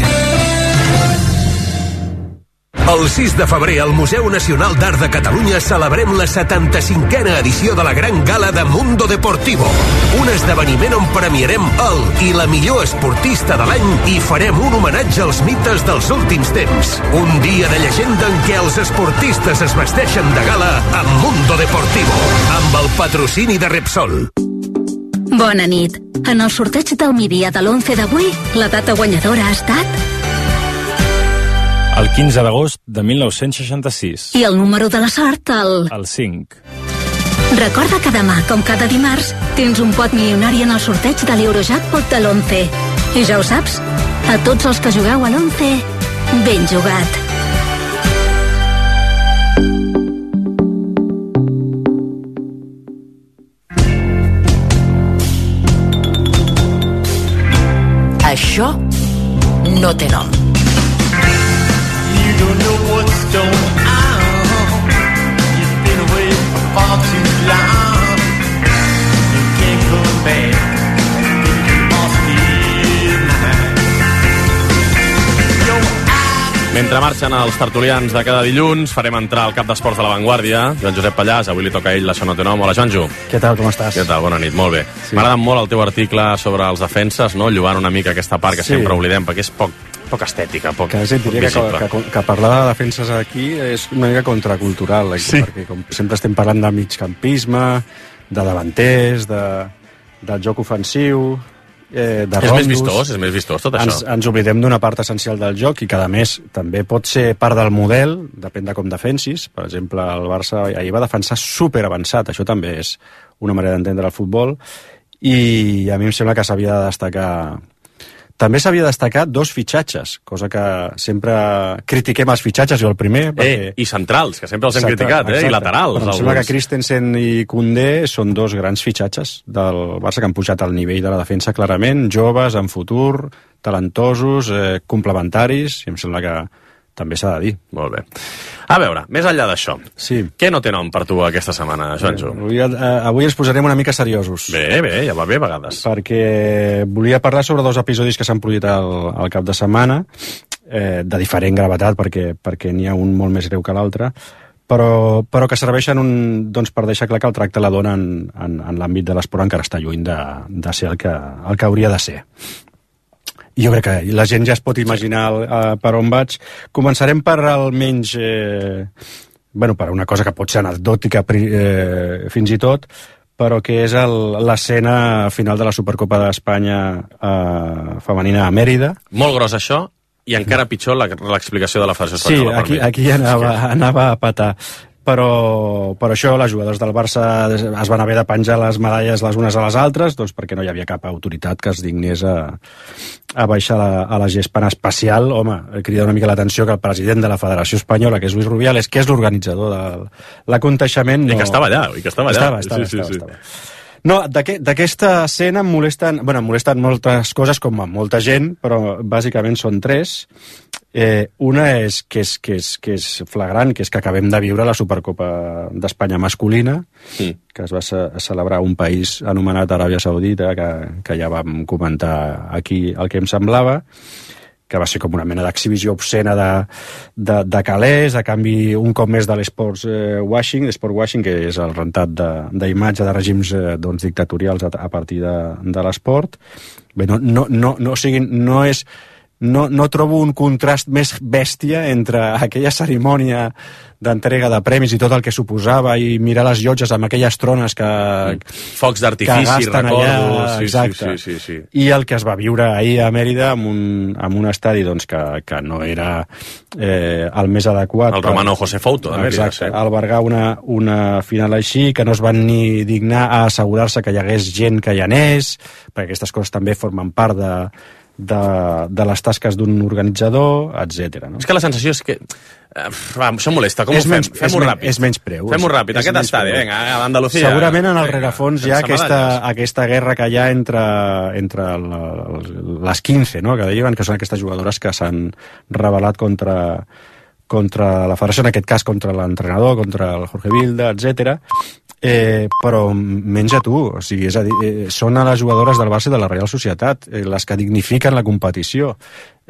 El sis de febrer al Museu Nacional d'Art de Catalunya celebrem la setanta-cinquena edició de la Gran Gala de Mundo Deportivo. Un esdeveniment on premiarem el i la millor esportista de l'any i farem un homenatge als mites dels últims temps. Un dia de llegenda en què els esportistes es vesteixen de gala amb Mundo Deportivo, amb el patrocini de Repsol. Bona nit. En el sorteig del migdia de l'onze d'avui, la data guanyadora ha estat... El quinze d'agost de mil nou-cents seixanta-sis. I el número de la sort, el... El cinc. Recorda que demà, com cada dimarts, tens un pot milionari en el sorteig de l'Eurojackpot de l'onze. I ja ho saps, a tots els que jugueu a l'onze, ben jugat. Això no té nom. You don't know what's going on. You've been away for far too long. You can't come back. You must be mine. Mentre marxen els tertulians de cada dilluns, farem entrar al cap d'esports de La Vanguardia, Joan Josep Pallàs. Avui li toca a ell, Això no té nom. Hola, Joanjo. Què tal, com estàs? Què tal? Bona nit, molt bé. Sí. M'ha agradat molt el teu article sobre els defenses, no? Llogant una mica aquesta part que sí. sempre oblidem, perquè és poc, poc estètica, poc, que, sí, poc diria visible. Que, que, que parlar de defenses aquí és una mica contracultural, sí. perquè com sempre estem parlant de migcampisme, de davanters, de, del joc ofensiu... Eh, de és rondos. més vistós, és més vistós tot ens, això. Ens oblidem d'una part essencial del joc i que, a més, també pot ser part del model, depèn de com defensis. Per exemple, el Barça ahir va defensar superavançat, això també és una manera d'entendre el futbol, i a mi em sembla que s'havia de destacar... També s'havia destacat dos fitxatges, cosa que sempre critiquem els fitxatges, jo el primer... Perquè... Eh, I centrals, que sempre els hem Exacte, criticat, eh? I laterals. Però em sembla que Christensen i Koundé són dos grans fitxatges del Barça que han pujat al nivell de la defensa clarament, joves, en futur, talentosos, eh, complementaris, i em sembla que també s'ha de dir. Molt bé. A veure, més enllà d'això, sí. què no té nom per tu aquesta setmana, Joanjo? Avui, eh, avui ens posarem una mica seriosos. Bé, bé, ja va bé a vegades. Perquè volia parlar sobre dos episodis que s'han produït al, al cap de setmana, eh, de diferent gravetat, perquè, perquè n'hi ha un molt més greu que l'altre, però, però que serveixen un, doncs, per deixar clar que el tracte la dona en, en, en l'àmbit de l'esport encara està lluny de, de ser el que, el que hauria de ser. I jo crec que la gent ja es pot imaginar uh, per on vaig. Començarem per almenys... Eh, bueno, per una cosa que pot ser anecdòtica eh, fins i tot, però que és l'escena final de la Supercopa d'Espanya eh, femenina a Mèrida. Molt gros això, i encara pitjor l'explicació de la Federació Espanyola. Sí, aquí, aquí anava, anava a patar. Però, però això, les jugadors del Barça es van haver de penjar les medalles les unes a les altres, doncs perquè no hi havia cap autoritat que es dignés a, a baixar la, a la gespa en especial. Home, crida una mica l'atenció que el president de la Federació Espanyola, que és Luis Rubiales, que és l'organitzador de l'aconteixement... No... I que estava allà, i que estava allà. Estava, estava, sí, sí, estava, sí. estava. No, d'aquesta escena em molesten, bueno, em molesten moltes coses, com a molta gent, però bàsicament són tres. Eh, una és que, és que és que és flagrant, que és que acabem de viure la Supercopa d'Espanya masculina, sí. que es va ce celebrar un país anomenat Aràbia Saudita, que, que ja vam comentar aquí el que em semblava, que va ser com una mena d'exhibició obscena de, de, de calés, a canvi un cop més de l'esports eh, washing, l'esport washing, que és el rentat d'imatge de, de règims eh, doncs, dictatorials a, a partir de, de l'esport. Bé, no, no, no, no, o sigui, no és no, no trobo un contrast més bèstia entre aquella cerimònia d'entrega de premis i tot el que suposava i mirar les llotges amb aquelles trones que... Focs d'artifici, recordo. Allà, sí, exacte. Sí, sí, sí, sí. I el que es va viure ahir a Mèrida amb un, amb un estadi doncs, que, que no era eh, el més adequat. El Romano José Fouto, de Mèrida. Exacte, albergar una, una final així, que no es van ni dignar a assegurar-se que hi hagués gent que hi anés, perquè aquestes coses també formen part de, de, de les tasques d'un organitzador, etcètera. No? És que la sensació és que... Uh, va, això molesta, com és ho fem? menys, Fem-ho ràpid. És menys preu. Fem-ho ràpid, aquest estadi, vinga, a Andalucía. Segurament en el rerefons hi ha aquesta, aquesta guerra que hi ha entre, entre la, les quinze, no? Que deien que són aquestes jugadores que s'han rebel·lat contra, contra la federació, en aquest cas contra l'entrenador, contra el Jorge Vilda, etcètera. Eh, però menys a tu, o sigui, és a dir, eh, són a les jugadores del Barça i de la Real Societat, eh, les que dignifiquen la competició.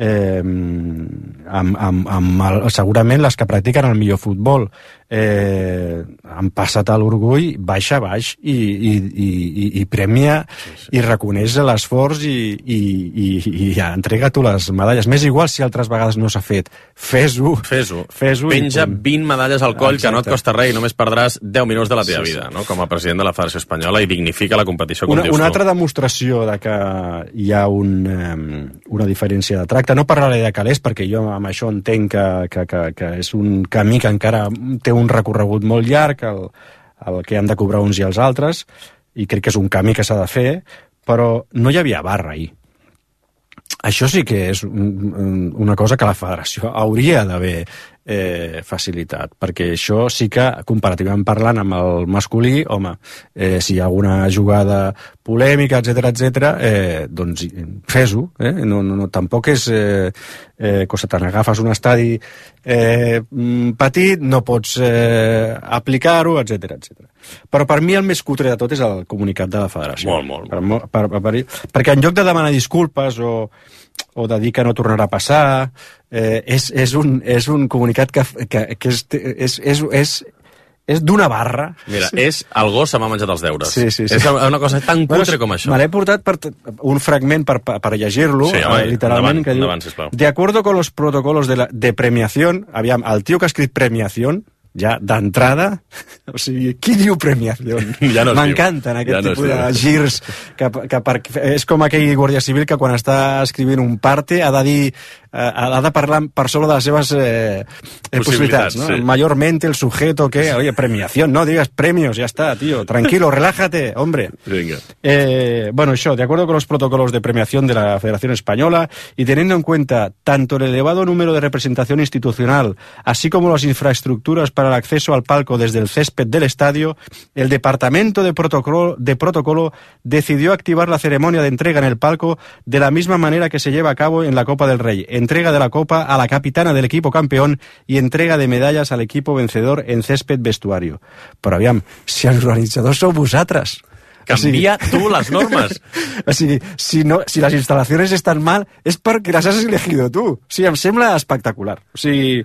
Eh, amb, amb, amb el, segurament les que practiquen el millor futbol. Eh, han passat a l'orgull baixa a baix i, i, i, i premia sí, sí. i reconeix l'esforç i, i, i, i ja, entrega tu les medalles. M'és igual si altres vegades no s'ha fet. Fes-ho. Fes-ho. Fes-ho. Penja vint medalles al coll. Exacte. Que no et costa res i només perdràs deu minuts de la teva sí, vida, sí. no? Com a president de la Federació Espanyola, i dignifica la competició, com una, dius tu. Una altra demostració de que hi ha un, um, una diferència de tracte. No parlaré de calés, perquè jo amb això entenc que, que, que, que és un camí que encara té un recorregut molt llarg, el, el que han de cobrar uns i els altres, i crec que és un camí que s'ha de fer, però no hi havia barra ahir. Això sí que és un, una cosa que la federació hauria d'haver eh, facilitat, perquè això sí que, comparativament parlant amb el masculí, home, eh, si hi ha alguna jugada polèmica, etcètera, etcètera, eh, doncs fes-ho, eh? no, no, no, tampoc és eh, eh, cosa tant, agafes un estadi eh, petit, no pots eh, aplicar-ho, etcètera, etcètera. Però per mi el més cutre de tot és el comunicat de la federació. Molt, molt. Per, per, per, per, perquè en lloc de demanar disculpes o, o de dir que no tornarà a passar, eh, és, és, un, és un comunicat que, que, que és, és, és, és, és d'una barra. Mira, sí. és el gos se m'ha menjat els deures. Sí, sí, sí. És una cosa tan cutre bueno, com això. Me l'he portat per un fragment per, per llegir-lo, sí, home, eh, literalment, endavant, que diu, endavant, sisplau. De acuerdo con los protocolos de, la, de premiación, aviam, el tio que ha escrit premiación, ja d'entrada, o sigui, qui diu premiació? Ja no m'encanten aquest ja no tipus de girs que, que per, és com aquell guàrdia civil que quan està escrivint un parte ha de dir, eh, ha de parlar per sobre de les seves eh, possibilitats, no? Sí. Mayormente el sujeto que, oye, premiación, no digas premios, ya está, tío, tranquilo, relájate, hombre. Venga. Eh, bueno, això, de acuerdo con los protocolos de premiación de la Federación Española y teniendo en cuenta tanto el elevado número de representación institucional, así como las infraestructuras para el acceso al palco desde el césped del estadio, el Departamento de Protocolo, de Protocolo decidió activar la ceremonia de entrega en el palco de la misma manera que se lleva a cabo en la Copa del Rey. Entrega de la Copa a la capitana del equipo campeón y entrega de medallas al equipo vencedor en césped vestuario. Però aviam, si els organitzadors sou vosaltres... Canvia o sigui, tu les normes. O sigui, si, no, si les instal·lacions estan mal és perquè les has elegido tu. O sigui, em sembla espectacular. O sigui,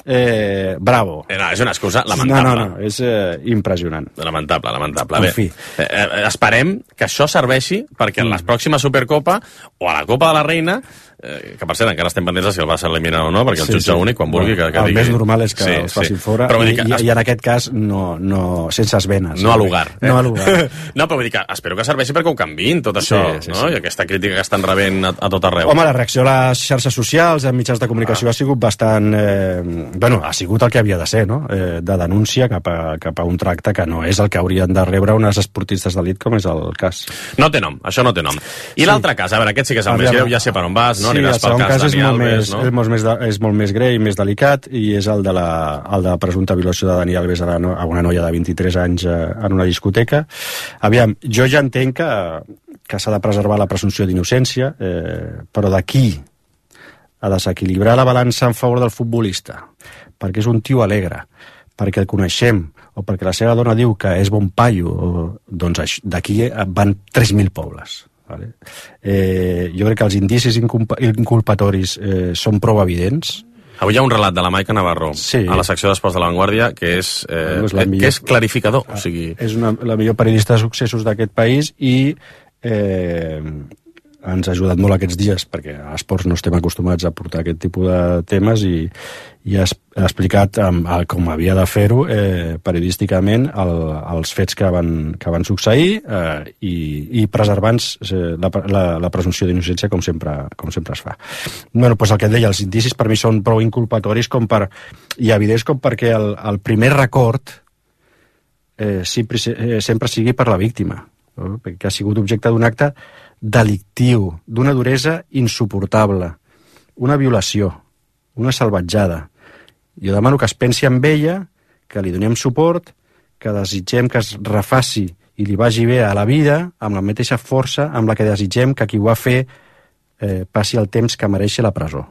eh, bravo. Eh, no, és una excusa lamentable. No, no, no, és eh, impressionant. Lamentable, lamentable. En Bé, fi. Eh, eh, esperem que això serveixi perquè en la pròxima Supercopa o a la Copa de la Reina, eh, que per cert encara estem pendents de si el Barça elimina o no, perquè el sí, jutge sí. únic, quan vulgui... Que, que el digui... més normal és que sí, els facin sí. fora, però i, que... i, i en aquest cas no, no, sense esvenes. No a lugar. Eh? No a lugar. No, però vull dir que espero que serveixi perquè ho canviïn, tot això, sí, sí, no? Sí. I aquesta crítica que estan rebent a, a tot arreu. Home, la reacció a les xarxes socials, a mitjans de comunicació, ah. ha sigut bastant... Eh, bueno, ha sigut el que havia de ser, no? Eh, de denúncia cap a, cap a un tracte que no és el que haurien de rebre unes esportistes d'elit, com és el cas. No té nom, això no té nom. I sí. L'altre cas, a veure, aquest sí que és el més greu, ja sé per on vas, no? Sí, Aniràs pel cas, cas Dani Alves, més, no? És molt, més de, és molt més greu i més delicat, i és el de la, el de la presumpta violació de Dani Alves a, la, a una noia de vint-i-tres anys eh, en una discoteca. Aviam, jo ja entenc que, que s'ha de preservar la presumpció d'innocència, eh, però d'aquí a desequilibrar la balança en favor del futbolista, perquè és un tio alegre, perquè el coneixem, o perquè la seva dona diu que és bon paio, o, doncs d'aquí van tres mil pobles. Vale? Eh, jo crec que els indicis inculpatoris eh, són prou evidents. Avui hi ha un relat de la Maica Navarro sí. a la secció d'Esports de la Vanguardia que és, eh, no és millor, que és clarificador. O sigui... És una, la millor periodista de successos d'aquest país i eh, ens ha ajudat molt aquests dies, perquè a esports no estem acostumats a portar aquest tipus de temes, i, i ha, ha explicat um, com havia de fer-ho eh, periodísticament el, els fets que van, que van succeir eh, i, i preservant eh, la, la, la presumpció d'innocència com sempre, com sempre es fa. Bueno, doncs el que et deia, els indicis per mi són prou inculpatoris com per, i evidents com perquè el, el primer record eh, sempre, eh, sempre sigui per la víctima, no? Perquè ha sigut objecte d'un acte delictiu, d'una duresa insuportable, una violació, una salvatjada. Jo demano que es pensi en ella, que li donem suport, que desitgem que es refaci i li vagi bé a la vida amb la mateixa força amb la que desitgem que qui ho va fer eh, passi el temps que mereix la presó.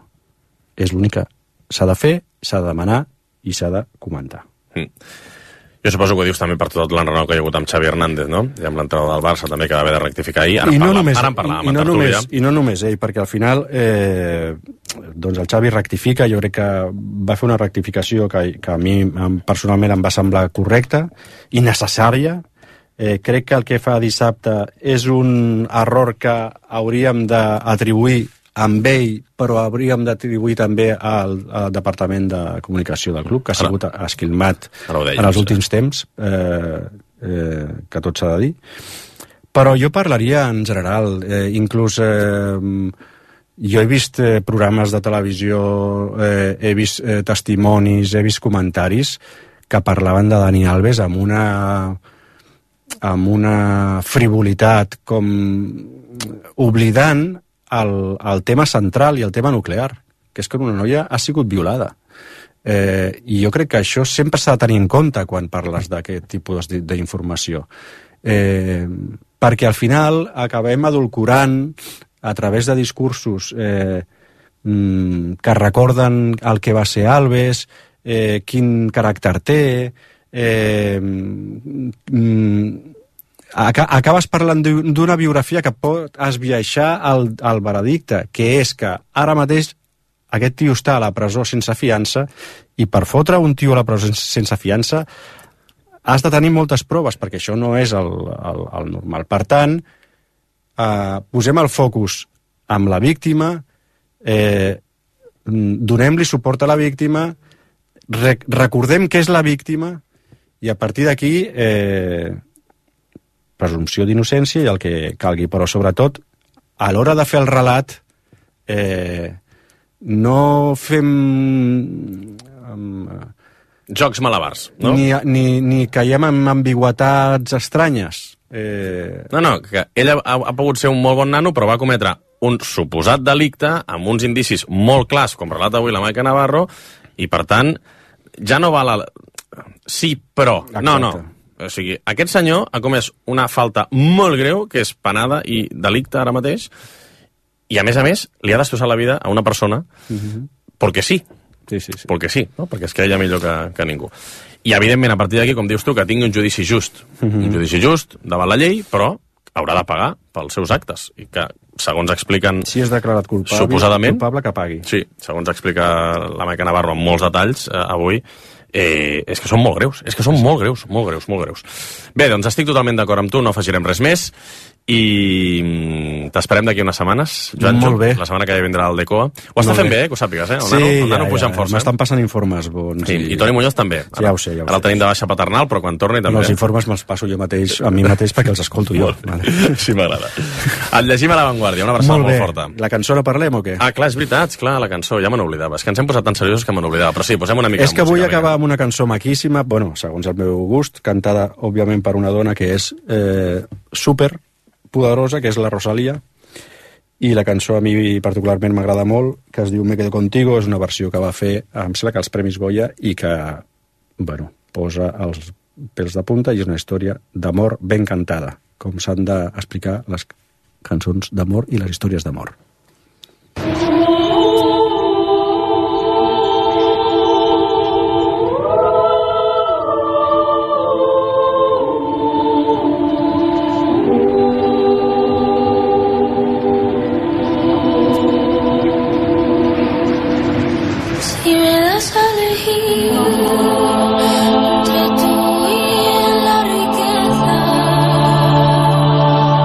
És l'únic que s'ha de fer, s'ha de demanar i s'ha de comentar. Mm. Jo suposo que ho dius també per tot l'enrenou que hi ha hagut amb Xavi Hernández, no? I amb l'entrenador del Barça també, que va haver de rectificar ahir. Ara I en no parlàvem, només, ara en parlàvem i, a no tertúlia. només, I no només ell, perquè al final eh, doncs el Xavi rectifica, jo crec que va fer una rectificació que, que a mi personalment em va semblar correcta i necessària. Eh, crec que el que fa dissabte és un error que hauríem d'atribuir amb ell, però hauríem d'atribuir també al, al Departament de Comunicació del club, que ha sigut esquilmat en els últims temps, eh, eh, que tot s'ha de dir. Però jo parlaria en general, eh, inclús eh, jo he vist eh, programes de televisió, eh, he vist eh, testimonis, he vist comentaris que parlaven de Dani Alves amb una amb una frivolitat, com oblidant el, el tema central i el tema nuclear, que és que una noia ha sigut violada. Eh, I jo crec que això sempre s'ha de tenir en compte quan parles d'aquest tipus d'informació. Eh, perquè al final acabem adulcorant a través de discursos eh, que recorden el que va ser Alves, eh, quin caràcter té, eh, acabes parlant d'una biografia que pot esbiaixar el, el veredicte, que és que ara mateix aquest tio està a la presó sense fiança, i per fotre un tio a la presó sense fiança has de tenir moltes proves, perquè això no és el, el, el normal. Per tant, eh, posem el focus amb la víctima, eh, donem-li suport a la víctima, rec recordem què és la víctima, i a partir d'aquí eh, presumpció d'innocència i el que calgui, però sobretot a l'hora de fer el relat eh, no fem um, jocs malabars, no? Ni, ni, ni caiem en ambigüetats estranyes. Eh... No, no, que ell ha, ha pogut ser un molt bon nano, però va cometre un suposat delicte amb uns indicis molt clars, com relata avui la Maica Navarro, i per tant ja no va la... Sí, però... Exacte. No, no. O sigui, aquest senyor ha comès una falta molt greu, que és penada i delicte ara mateix, i a més a més li ha destrossat la vida a una persona uh-huh. perquè sí. Sí, sí, sí. Perquè sí, no? Perquè es creia millor que, que ningú. I evidentment, a partir d'aquí, com dius tu, que tingui un judici just. Uh-huh. Un judici just davant la llei, però haurà de pagar pels seus actes. I que, segons expliquen... Si és declarat culpable, suposadament, culpable que pagui. Sí, segons explica la Maica Navarro amb molts detalls eh, avui, Eh, és que són molt greus, és que són molt greus, molt greus, molt greus. Bé, doncs estic totalment d'acord amb tu, no afegirem res més, i t'esperem d'aquí unes setmanes, Joan. Molt bé. La setmana que ve vindrà el Decoa. Ho està fent bé, eh, que ho sàpigues, eh? El sí, nano, el nano ja, puja ja, amb força. M'estan passant informes bons. Sí, i... I Toni Muñoz també. Sí, ja ho sé, ja ho Ara el tenim de baixa paternal, però quan torni també... No, els informes me'ls passo jo mateix, a mi mateix, perquè els escolto jo. Vale. Sí, m'agrada. Et llegim a l'avantguàrdia, una abraçada molt, molt forta. La cançó la parlem o què? Ah, clar, és veritat, clar, la cançó, ja me n'oblidava. És que ens hem posat tan seriosos que me n'oblidava, però sí, posem una mica és que vull acabar amb una cançó maquíssima, bueno, segons el meu gust, cantada, òbviament, per una dona que és eh, super poderosa, que és la Rosalía, i la cançó a mi particularment m'agrada molt, que es diu Me quedo contigo, és una versió que va fer, em sembla que als Premis Goya, i que, bueno, posa els pèls de punta, i és una història d'amor ben cantada, com s'han d'explicar les cançons d'amor i les històries d'amor.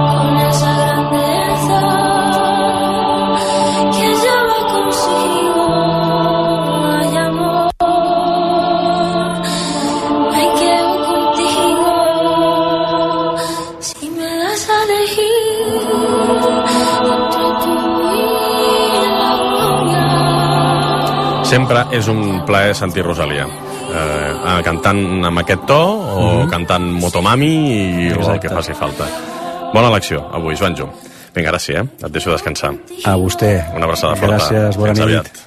Con esa grandeza Sempre és un plaer sentir Rosalia. Eh, cantant amb aquest to o mm-hmm. cantant Motomami i Exacte. El que faci falta. Bona elecció avui, Joanjo. Vinga, ara sí, eh? Et deixo descansar. A vostè. Una abraçada forta. Gràcies, bona Fins nit. Aviat.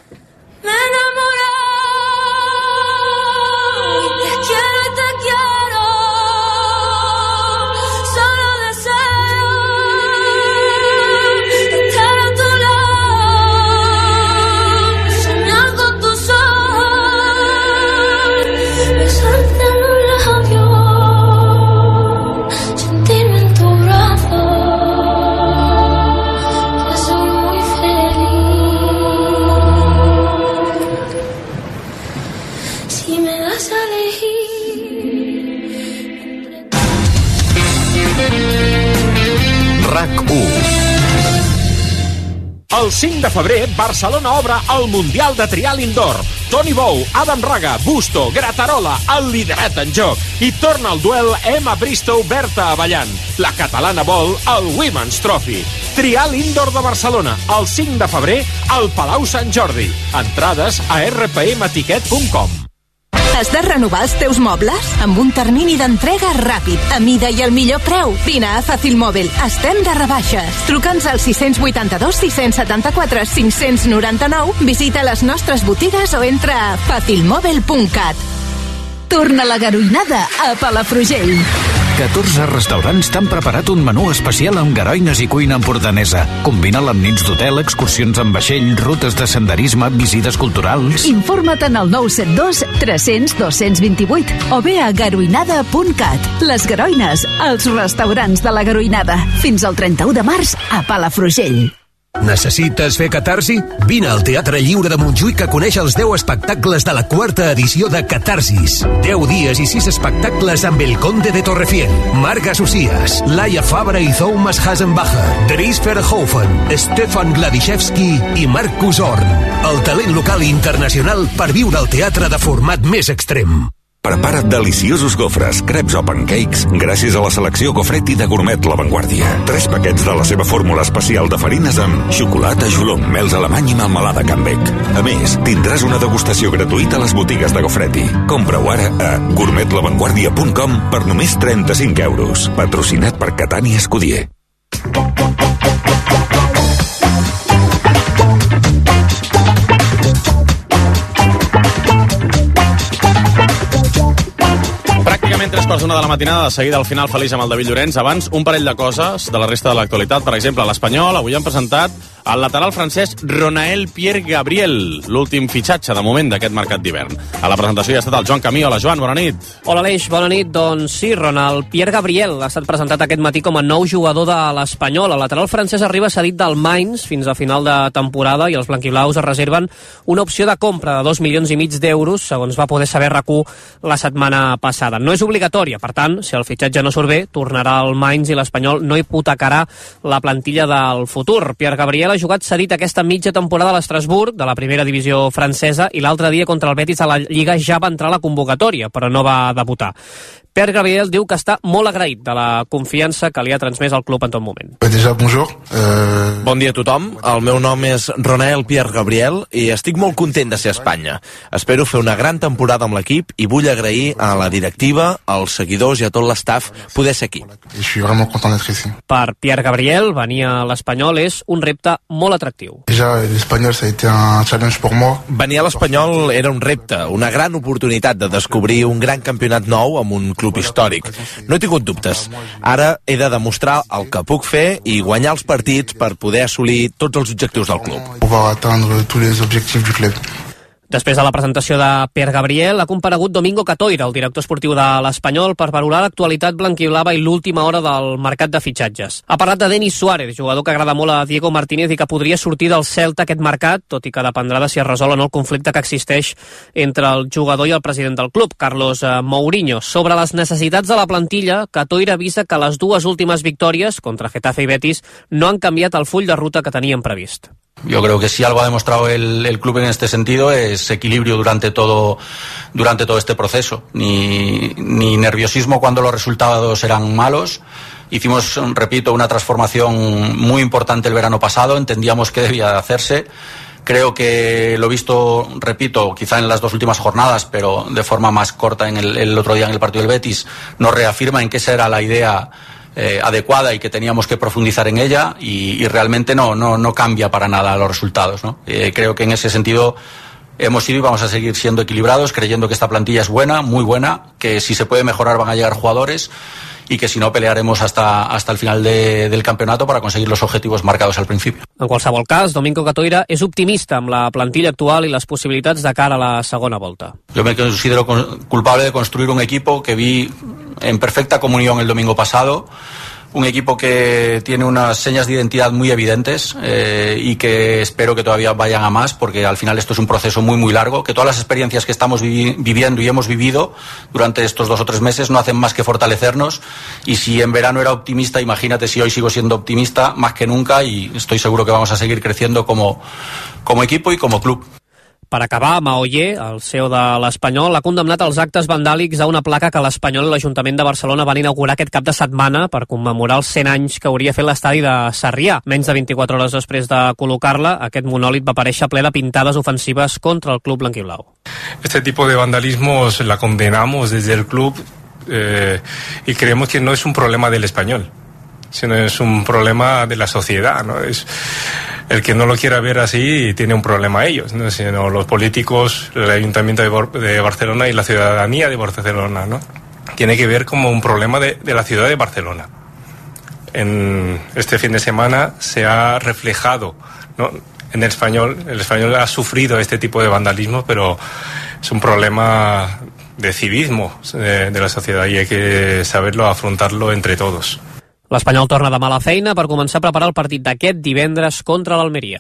El cinc de febrer, Barcelona obre el Mundial de Trial Indoor. Toni Bou, Adam Raga, Busto, Gratarola, el liderat en joc. I torna el duel Emma Bristow, Berta Avellan. La catalana vol el Women's Trophy. Trial Indoor de Barcelona, el cinc de febrer, al Palau Sant Jordi. Entrades a erre pe eme tiquet punt com. Has de renovar els teus mobles? Amb un termini d'entrega ràpid, a mida i al millor preu. Vine a Fàcil Mòbil. Estem de rebaixes. Truca'ns al sis vuit dos, sis set quatre, cinc nou nou, visita les nostres botigues o entra a fàcil mòbil punt cat. Torna la garoinada a Palafrugell. catorze restaurants t'han preparat un menú especial amb garoines i cuina empordanesa. Combina-la amb nits d'hotel, excursions amb vaixell, rutes de senderisme, visites culturals... Informa't en el nou set dos tres cents dos cents vint-i-vuit o bé a garoinada punt cat. Les Garoines, els restaurants de la Garoinada. Fins al trenta-u de març a Palafrugell. Necessites fer catarsi? Vine al Teatre Lliure de Montjuïc a conèixer els deu espectacles de la quarta edició de Catarsis. deu dies i sis espectacles amb El Conde de Torrefient, Marga Socias, Laia Fabra i Thomas Hasenbacher, Dries Verhoeven, Stefan Gladishevski i Marcus Horn. El talent local i internacional per viure el teatre de format més extrem. Prepara't deliciosos gofres, creps o pancakes gràcies a la selecció Gofretti de Gourmet La Vanguardia. Tres paquets de la seva fórmula especial de farines amb xocolata, jolong, mels alemany i melmelada Canbec. A més, tindràs una degustació gratuïta a les botigues de Gofretti. Compra-ho ara a gourmet la vanguardia punt com per només trenta-cinc euros. Patrocinat per Catània Escudier. Tres quarts d'una de la matinada, de seguida al final feliç amb el David Llorenç. Abans, un parell de coses de la resta de l'actualitat. Per exemple, a l'Espanyol avui han presentat el lateral francès Ronael Pierre Gabriel, l'últim fitxatge de moment d'aquest mercat d'hivern. A la presentació hi ha estat el Joan Camí. Hola, Joan, bona nit. Hola, Aleix, bona nit. Doncs sí, Ronald Pierre Gabriel ha estat presentat aquest matí com a nou jugador de l'Espanyol. El lateral francès arriba cedit del Mainz fins a final de temporada i els blanquiblaus es reserven una opció de compra de dos milions i mig d'euros, segons va poder saber R A Q la setmana passada. No és obligatòria, per tant, si el fitxatge no surt bé, tornarà al Mainz i l'Espanyol no hipotecarà la plantilla del futur. Pierre Gabriel ha jugat cedit aquesta mitja temporada a l'Estrasburg, de la primera divisió francesa, i l'altre dia contra el Betis a la Lliga ja va entrar a la convocatòria, però no va debutar. Pierre Gabriel diu que està molt agraït de la confiança que li ha transmès el club en tot moment. Déjà, bonjour. Uh... Bon dia a tothom. El meu nom és Ronael Pierre Gabriel i estic molt content de ser a Espanya. Espero fer una gran temporada amb l'equip i vull agrair a la directiva, als seguidors i a tot l'estaf poder ser aquí. Je suis vraiment content d'être ici. Per Pierre Gabriel, venir a l'Espanyol és un repte molt atractiu. Déjà, l'Espanyol ça a été un challenge pour moi. Venir a l'Espanyol era un repte, una gran oportunitat de descobrir un gran campionat nou amb un club històric. No he tingut dubtes. Ara he de demostrar el que puc fer i guanyar els partits per poder assolir tots els objectius del club. Pouvoir atteindre tous les objectifs du club. Després de la presentació de Pierre Gabriel, ha comparegut Domingo Catoira, el director esportiu de l'Espanyol, per valorar l'actualitat blanquiblava i l'última hora del mercat de fitxatges. Ha parlat de Denis Suárez, jugador que agrada molt a Diego Martínez i que podria sortir del Celta aquest mercat, tot i que dependrà de si es resol o no el conflicte que existeix entre el jugador i el president del club, Carlos Mourinho. Sobre les necessitats de la plantilla, Catoira avisa que les dues últimes victòries, contra Getafe i Betis, no han canviat el full de ruta que tenien previst. Yo creo que si algo ha demostrado el, el club en este sentido es equilibrio durante todo, durante todo este proceso. Ni, ni nerviosismo cuando los resultados eran malos. Hicimos, repito, una transformación muy importante el verano pasado. Entendíamos que debía de hacerse. Creo que lo he visto, repito, quizá en las dos últimas jornadas, pero de forma más corta en el, el otro día en el partido del Betis, nos reafirma en que esa era la idea eh, adecuada y que teníamos que profundizar en ella, y, y realmente no, no, no cambia para nada los resultados, ¿no? Eh, creo que en ese sentido hemos sido y vamos a seguir siendo equilibrados, creyendo que esta plantilla es buena, muy buena, que si se puede mejorar van a llegar jugadores y que si no pelearemos hasta, hasta el final de, del campeonato para conseguir los objetivos marcados al principio. En qualsevol cas, Domingo Catoira és optimista amb la plantilla actual i les possibilitats de cara a la segona volta. Yo me considero culpable de construir un equipo que vi en perfecta comunión el domingo pasado, un equipo que tiene unas señas de identidad muy evidentes eh, y que espero que todavía vayan a más, porque al final esto es un proceso muy muy largo, que todas las experiencias que estamos vivi viviendo y hemos vivido durante estos dos o tres meses no hacen más que fortalecernos, y si en verano era optimista, imagínate si hoy sigo siendo optimista más que nunca, y estoy seguro que vamos a seguir creciendo como, como equipo y como club. Per acabar, Maoyer, el C E O de l'Espanyol, ha condemnat els actes vandàlics a una placa que l'Espanyol i l'Ajuntament de Barcelona van inaugurar aquest cap de setmana per commemorar els cent anys que hauria fet l'estadi de Sarrià. Menys de vint-i-quatre hores després de col·locar-la, aquest monòlit va aparèixer ple de pintades ofensives contra el club blanquiblau. Este tipo de vandalismos la condenamos desde el club eh, y creemos que no es un problema del Español, sino es un problema de la sociedad, ¿no? Es el que no lo quiera ver así tiene un problema ellos, ¿no? Sino los políticos, el Ayuntamiento de, Bar de Barcelona y la ciudadanía de Barcelona, ¿no? Tiene que ver como un problema de, de la ciudad de Barcelona. En este fin de semana se ha reflejado, ¿no? En el español, el español ha sufrido este tipo de vandalismo, pero es un problema de civismo de, de la sociedad y hay que saberlo afrontarlo entre todos. L'Espanyol torna demà a la feina per començar a preparar el partit d'aquest divendres contra l'Almeria.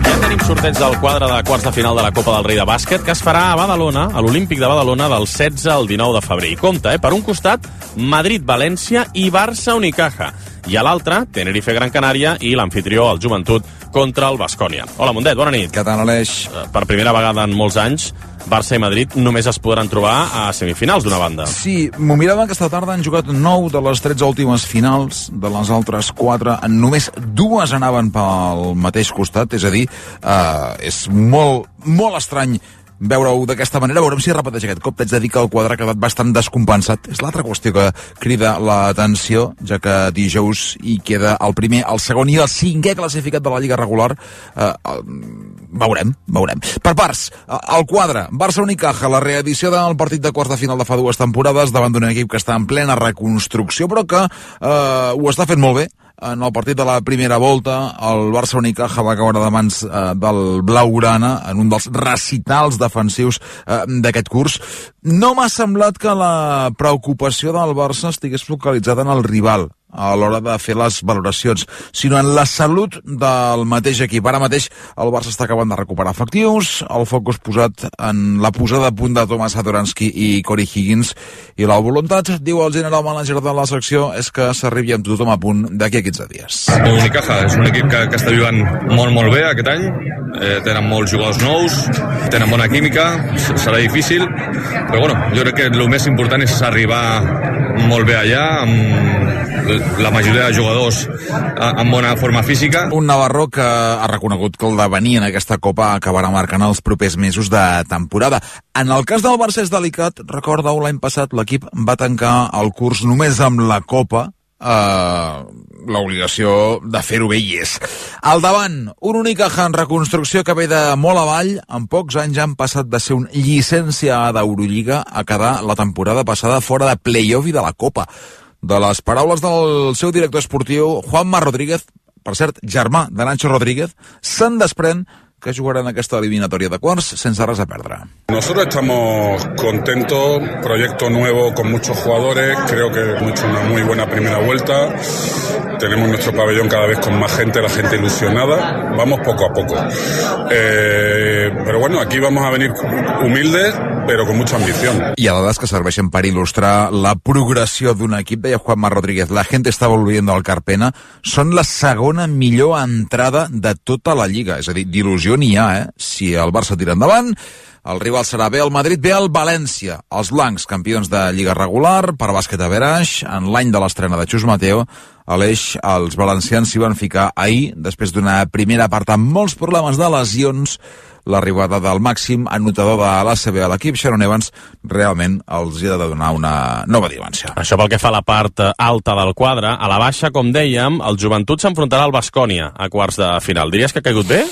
Ja tenim sorteig del quadre de quarts de final de la Copa del Rei de Bàsquet, que es farà a Badalona, a l'Olímpic de Badalona, del setze al dinou de febrer. I compta, eh? Per un costat, Madrid-València i Barça-Unicaja. I a l'altre, Tenerife-Gran Canària i l'anfitrió, el Joventut, contra el Baskonia. Hola, Mundet, bona nit. Què tal, Aleix? Per primera vegada en molts anys, Barça i Madrid només es podran trobar a semifinals d'una banda. Sí, m'ho mirava aquesta tarda, han jugat nou de les tretze últimes finals, de les altres quatre, només dues anaven pel mateix costat, és a dir, eh, és molt, molt estrany veure-ho d'aquesta manera. Veurem si repeteix aquest cop. T'haig de dir que el quadre ha quedat bastant descompensat. És l'altra qüestió que crida l'atenció, ja que dijous hi queda el primer, el segon i el cinquè classificat de la Lliga regular. Eh, eh, veurem, veurem. Per parts, el quadre, Barça-Unicaja, la reedició del partit de quarts de final de fa dues temporades davant d'un equip que està en plena reconstrucció, però que eh, ho està fent molt bé. En el partit de la primera volta, el Barça-Unicaja va caure de mans eh, del Blaugrana en un dels recitals defensius eh, d'aquest curs. No m'ha semblat que la preocupació del Barça estigués focalitzada en el rival a l'hora de fer les valoracions, sinó en la salut del mateix equip. Ara mateix el Barça està acabant de recuperar efectius, el focus posat en la posada a punt de Tomas Satoransky i Corey Higgins, i la voluntat, diu el general manager de la secció, és que s'arribi amb tothom a punt d'aquí a quinze dies. Unicaja és un equip que, que està jugant molt, molt bé aquest any, eh, tenen molts jugadors nous, tenen bona química, serà difícil, però bueno, jo crec que el més important és arribar molt bé allà, amb la majoria de jugadors amb bona forma física. Un Navarro que ha reconegut que el d'avenir en aquesta Copa acabarà marcant els propers mesos de temporada. En el cas del Barça és delicat. Recordeu, l'any passat l'equip va tancar el curs només amb la Copa. Uh, l'obligació de fer-ho bé hi és. Al davant, un Unicaja en reconstrucció que ve de molt avall. En pocs anys han passat de ser un llicència d'Eurolliga a quedar la temporada passada fora de play-off i de la Copa. De les paraules del seu director esportiu, Juanma Rodríguez, per cert, germà de Nacho Rodríguez, se'n desprèn que jugarán aquesta eliminatoria de quarts sense res a perdre. Nosotros estamos contentos, proyecto nuevo con muchos jugadores, creo que hemos hecho una muy buena primera vuelta, tenemos nuestro pabellón cada vez con más gente, la gente ilusionada, vamos poco a poco. Eh, pero bueno, aquí vamos a venir humildes, però con mucha ambición. I a dades que serveixen per il·lustrar la progressió d'un equip, deia Juanma Rodríguez, la gente está volviendo al Carpena, són la segona millor entrada de tota la Lliga, és a dir, d'il·lusió n'hi ha, eh? Si el Barça tira endavant, El rival serà bé el Madrid, bé el València. Els blancs, campions de Lliga regular, per bàsquet a Veraix, en l'any de l'estrena de Xus Mateo, a l'Eix els valencians s'hi van ficar ahir, després d'una primera part amb molts problemes de lesions. L'arribada del màxim anotador de l'A C B a l'equip, Sharon Evans, realment els hi ha de donar una nova dimensió. Això pel que fa a la part alta del quadre. A la baixa, com dèiem, el Joventut s'enfrontarà al Baskonia a quarts de final. Diries que ha caigut bé?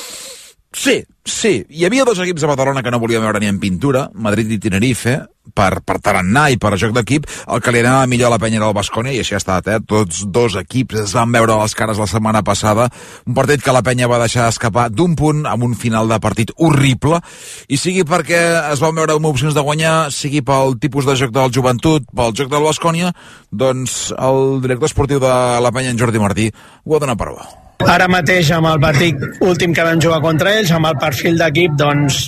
Sí, sí. Hi havia dos equips a Badalona que no volien veure ni en pintura, Madrid i Tenerife, per, per tarannà i per joc d'equip. El que li anava millor a la penya era el Baskonia, i així ha estat, eh? Tots dos equips es van veure a les cares la setmana passada. Un partit que la penya va deixar escapar d'un punt amb un final de partit horrible, i sigui perquè es van veure amb opcions de guanyar, sigui pel tipus de joc del Joventut, pel joc del Baskonia, doncs el director esportiu de la penya, en Jordi Martí, ho ha donat per bo. Ara mateix, amb el partit últim que vam jugar contra ells, amb el perfil d'equip, doncs,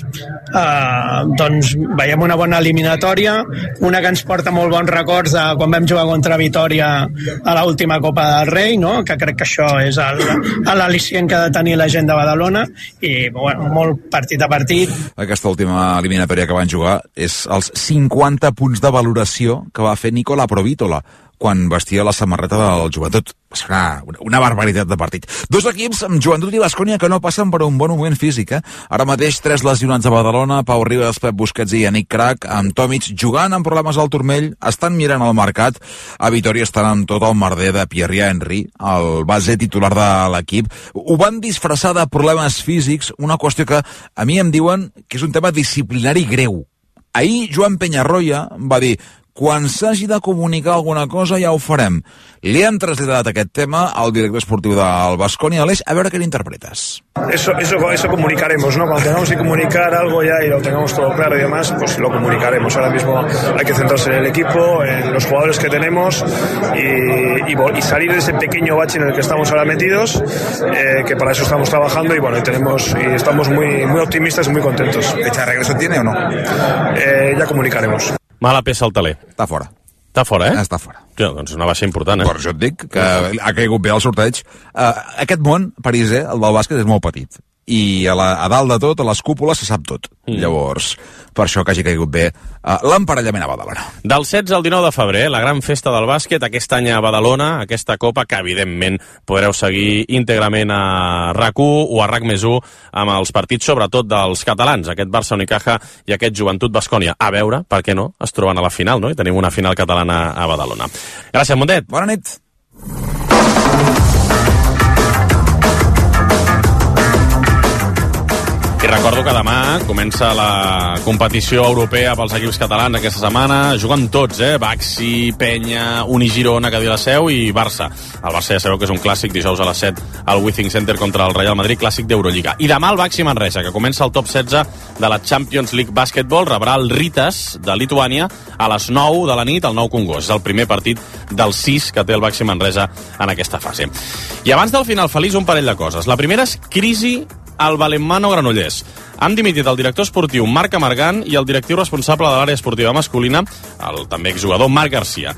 eh, doncs veiem una bona eliminatòria, una que ens porta molt bons records de quan vam jugar contra Vitòria a l'última Copa del Rei, no? Que crec que això és l'al·licient que ha de tenir la gent de Badalona, i bueno, molt partit a partit. Aquesta última eliminatòria que van jugar és els cinquanta punts de valoració que va fer Nicola Provítola quan vestia la samarreta del Joventut. És una, una barbaritat de partit. Dos equips amb Joventut i Baskonia que no passen per un bon moment físic, eh? Ara mateix tres lesionats a Badalona, Pau Ribas, Pep Busquets i Yannick Crac, amb Tomic jugant amb problemes al turmell, estan mirant el mercat. A Vitòria estan amb tot el merder de Pierre Henry, el base titular de l'equip. Ho van disfressar de problemes físics, una qüestió que a mi em diuen que és un tema disciplinari greu. Ahir Joan Peñarroya va dir: quan s'hagi de comunicar alguna cosa ja ho farem. Li han traslladat aquest tema al director esportiu del Baskonia, Aleix, a veure què l'interpretes. Eso, eso, eso comunicaremos, ¿no? Cuando tengamos que comunicar algo ya y lo tengamos todo claro y demás, pues lo comunicaremos. Ahora mismo hay que centrarse en el equipo, en los jugadores que tenemos y, y, y salir de ese pequeño bache en el que estamos ahora metidos, eh, que para eso estamos trabajando y bueno, y tenemos y estamos muy, muy optimistas y muy contentos. ¿Fecha de regreso tiene o no? Eh, ya comunicaremos. Mala peça al taler. Està fora. Està fora, eh? Està fora. Ja, doncs una baixa important, eh? Per això et dic que ha caigut bé el sorteig. Uh, aquest món, Parisè, el del bàsquet, és molt petit. I a, la, a dalt de tot, a les cúpules, se sap tot. Mm. Llavors, per això que hagi caigut bé uh, l'emparellament a Badalona. Del setze al dinou de febrer, la gran festa del bàsquet, aquest any a Badalona, aquesta copa que, evidentment, podreu seguir íntegrament a RAC u o a RAC més u amb els partits, sobretot dels catalans, aquest Barça Unicaja i aquest Joventut Baskonia. A veure, per què no, es troben a la final, no? I tenim una final catalana a Badalona. Gràcies, Mundet. Bona nit. I recordo que demà comença la competició europea pels equips catalans aquesta setmana. Juguen tots, eh? Baxi, Penya, Unigirona, que diu la Seu, i Barça. El Barça ja sabeu que és un clàssic, dijous a les set al Withing Center contra el Real Madrid, clàssic d'Eurolliga. I demà el Baxi Manresa, que comença el top setze de la Champions League Basketball, rebrà el Ritas de Lituània a les nou de la nit al Nou Congost. És el primer partit dels sis que té el Baxi Manresa en aquesta fase. I abans del final feliç, un parell de coses. La primera és crisi al Balonmano Granollers. Han dimitit el director esportiu Marc Amargant i el directiu responsable de l'àrea esportiva masculina, el també exjugador Marc Garcia.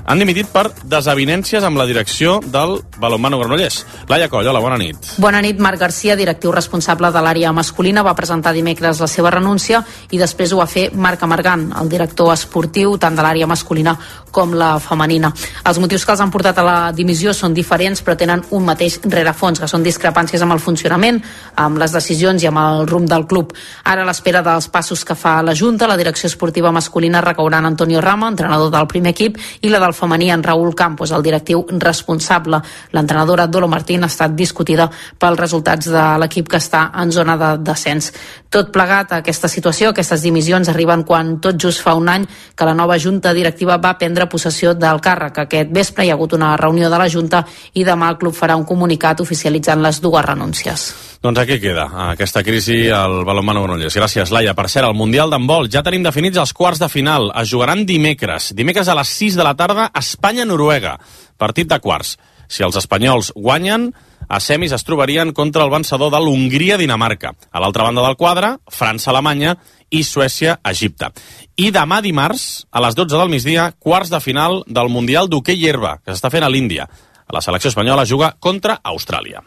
Han dimitit per desavinències amb la direcció del Balonmano Granollers. Laia Coll, hola, bona nit. Bona nit. Marc Garcia, directiu responsable de l'àrea masculina, va presentar dimecres la seva renúncia i després ho va fer Marc Amargant, el director esportiu tant de l'àrea masculina com la femenina. Els motius que els han portat a la dimissió són diferents, però tenen un mateix rerefons, que són discrepàncies amb el funcionament, amb les decisions i amb el rumb del club. Ara, a l'espera dels passos que fa la Junta, la direcció esportiva masculina recaurà en Antonio Rama, entrenador del primer equip, i la del femení en Raúl Campos, el directiu responsable. L'entrenadora Dolo Martín ha estat discutida pels resultats de l'equip que està en zona de descens. Tot plegat a aquesta situació, aquestes dimissions arriben quan tot just fa un any que la nova Junta directiva va prendre possessió del càrrec. Aquest vespre hi ha hagut una reunió de la Junta i demà el club farà un comunicat oficialitzant les dues renúncies. Doncs aquí queda aquesta crisi al Balonmano Granollers. Gràcies, Laia. Per cert, el Mundial d'handbol ja tenim definits els quarts de final. Es jugaran dimecres. Dimecres a les sis de la tarda, Espanya-Noruega. Partit de quarts. Si els espanyols guanyen, a semis es trobarien contra el vencedor de l'Hongria-Dinamarca. A l'altra banda del quadre, França-Alemanya i Suècia-Egipte. I demà dimarts, a les dotze del migdia, quarts de final del Mundial d'hoquei herba, que s'està fent a l'Índia. La selecció espanyola juga contra Austràlia.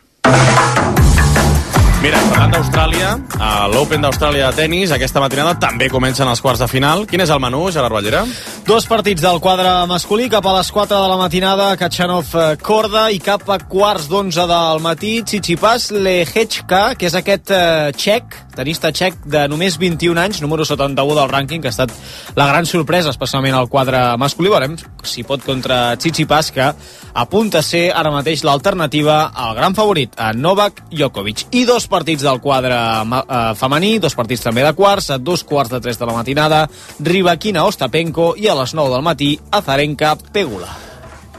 Mira, parlant d'Austràlia, a l'Open d'Austràlia de tennis, aquesta matinada també comencen els quarts de final. Quin és el menú, Gerard Ballera? Dos partits del quadre masculí, cap a les quatre de la matinada, Kachanov Korda, i cap a quarts d'onze del matí, Tsitsipas Lehečka, que és aquest eh, txec, tenista txec de només vint-i-un anys, número setanta-u del rànquing, que ha estat la gran sorpresa, especialment al quadre masculí. Veurem si pot contra Tsitsipas, que apunta a ser ara mateix l'alternativa al gran favorit, a Novak Djokovic. I dos partits del quadre eh, femení, dos partits també de quarts, a dos quarts de tres de la matinada, Rybakina Ostapenko, i a les nou del matí, Azarenka Pegula.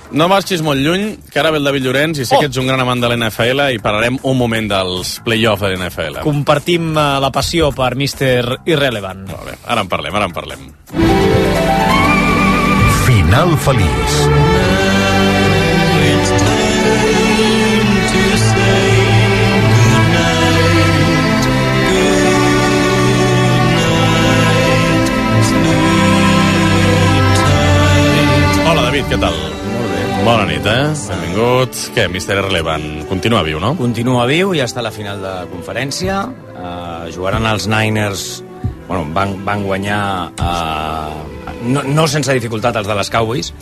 No marxis molt lluny, que ara ve el David Llorenç i sé oh. que ets un gran amant de l'N F L i parlarem un moment dels play-offs de l'N F L. Compartim uh, la passió per míster Irrelevant. Molt bé, ara en parlem, ara en parlem. Final feliç. Hola, David, què tal? Bona nit, eh? Benvingut. Què, míster Irrelevant? Continua viu, no? Continua viu, ja està a la final de conferència. Uh, jugaran els Niners... Bueno, van, van guanyar... Uh, no, no sense dificultat els de les Cowboys,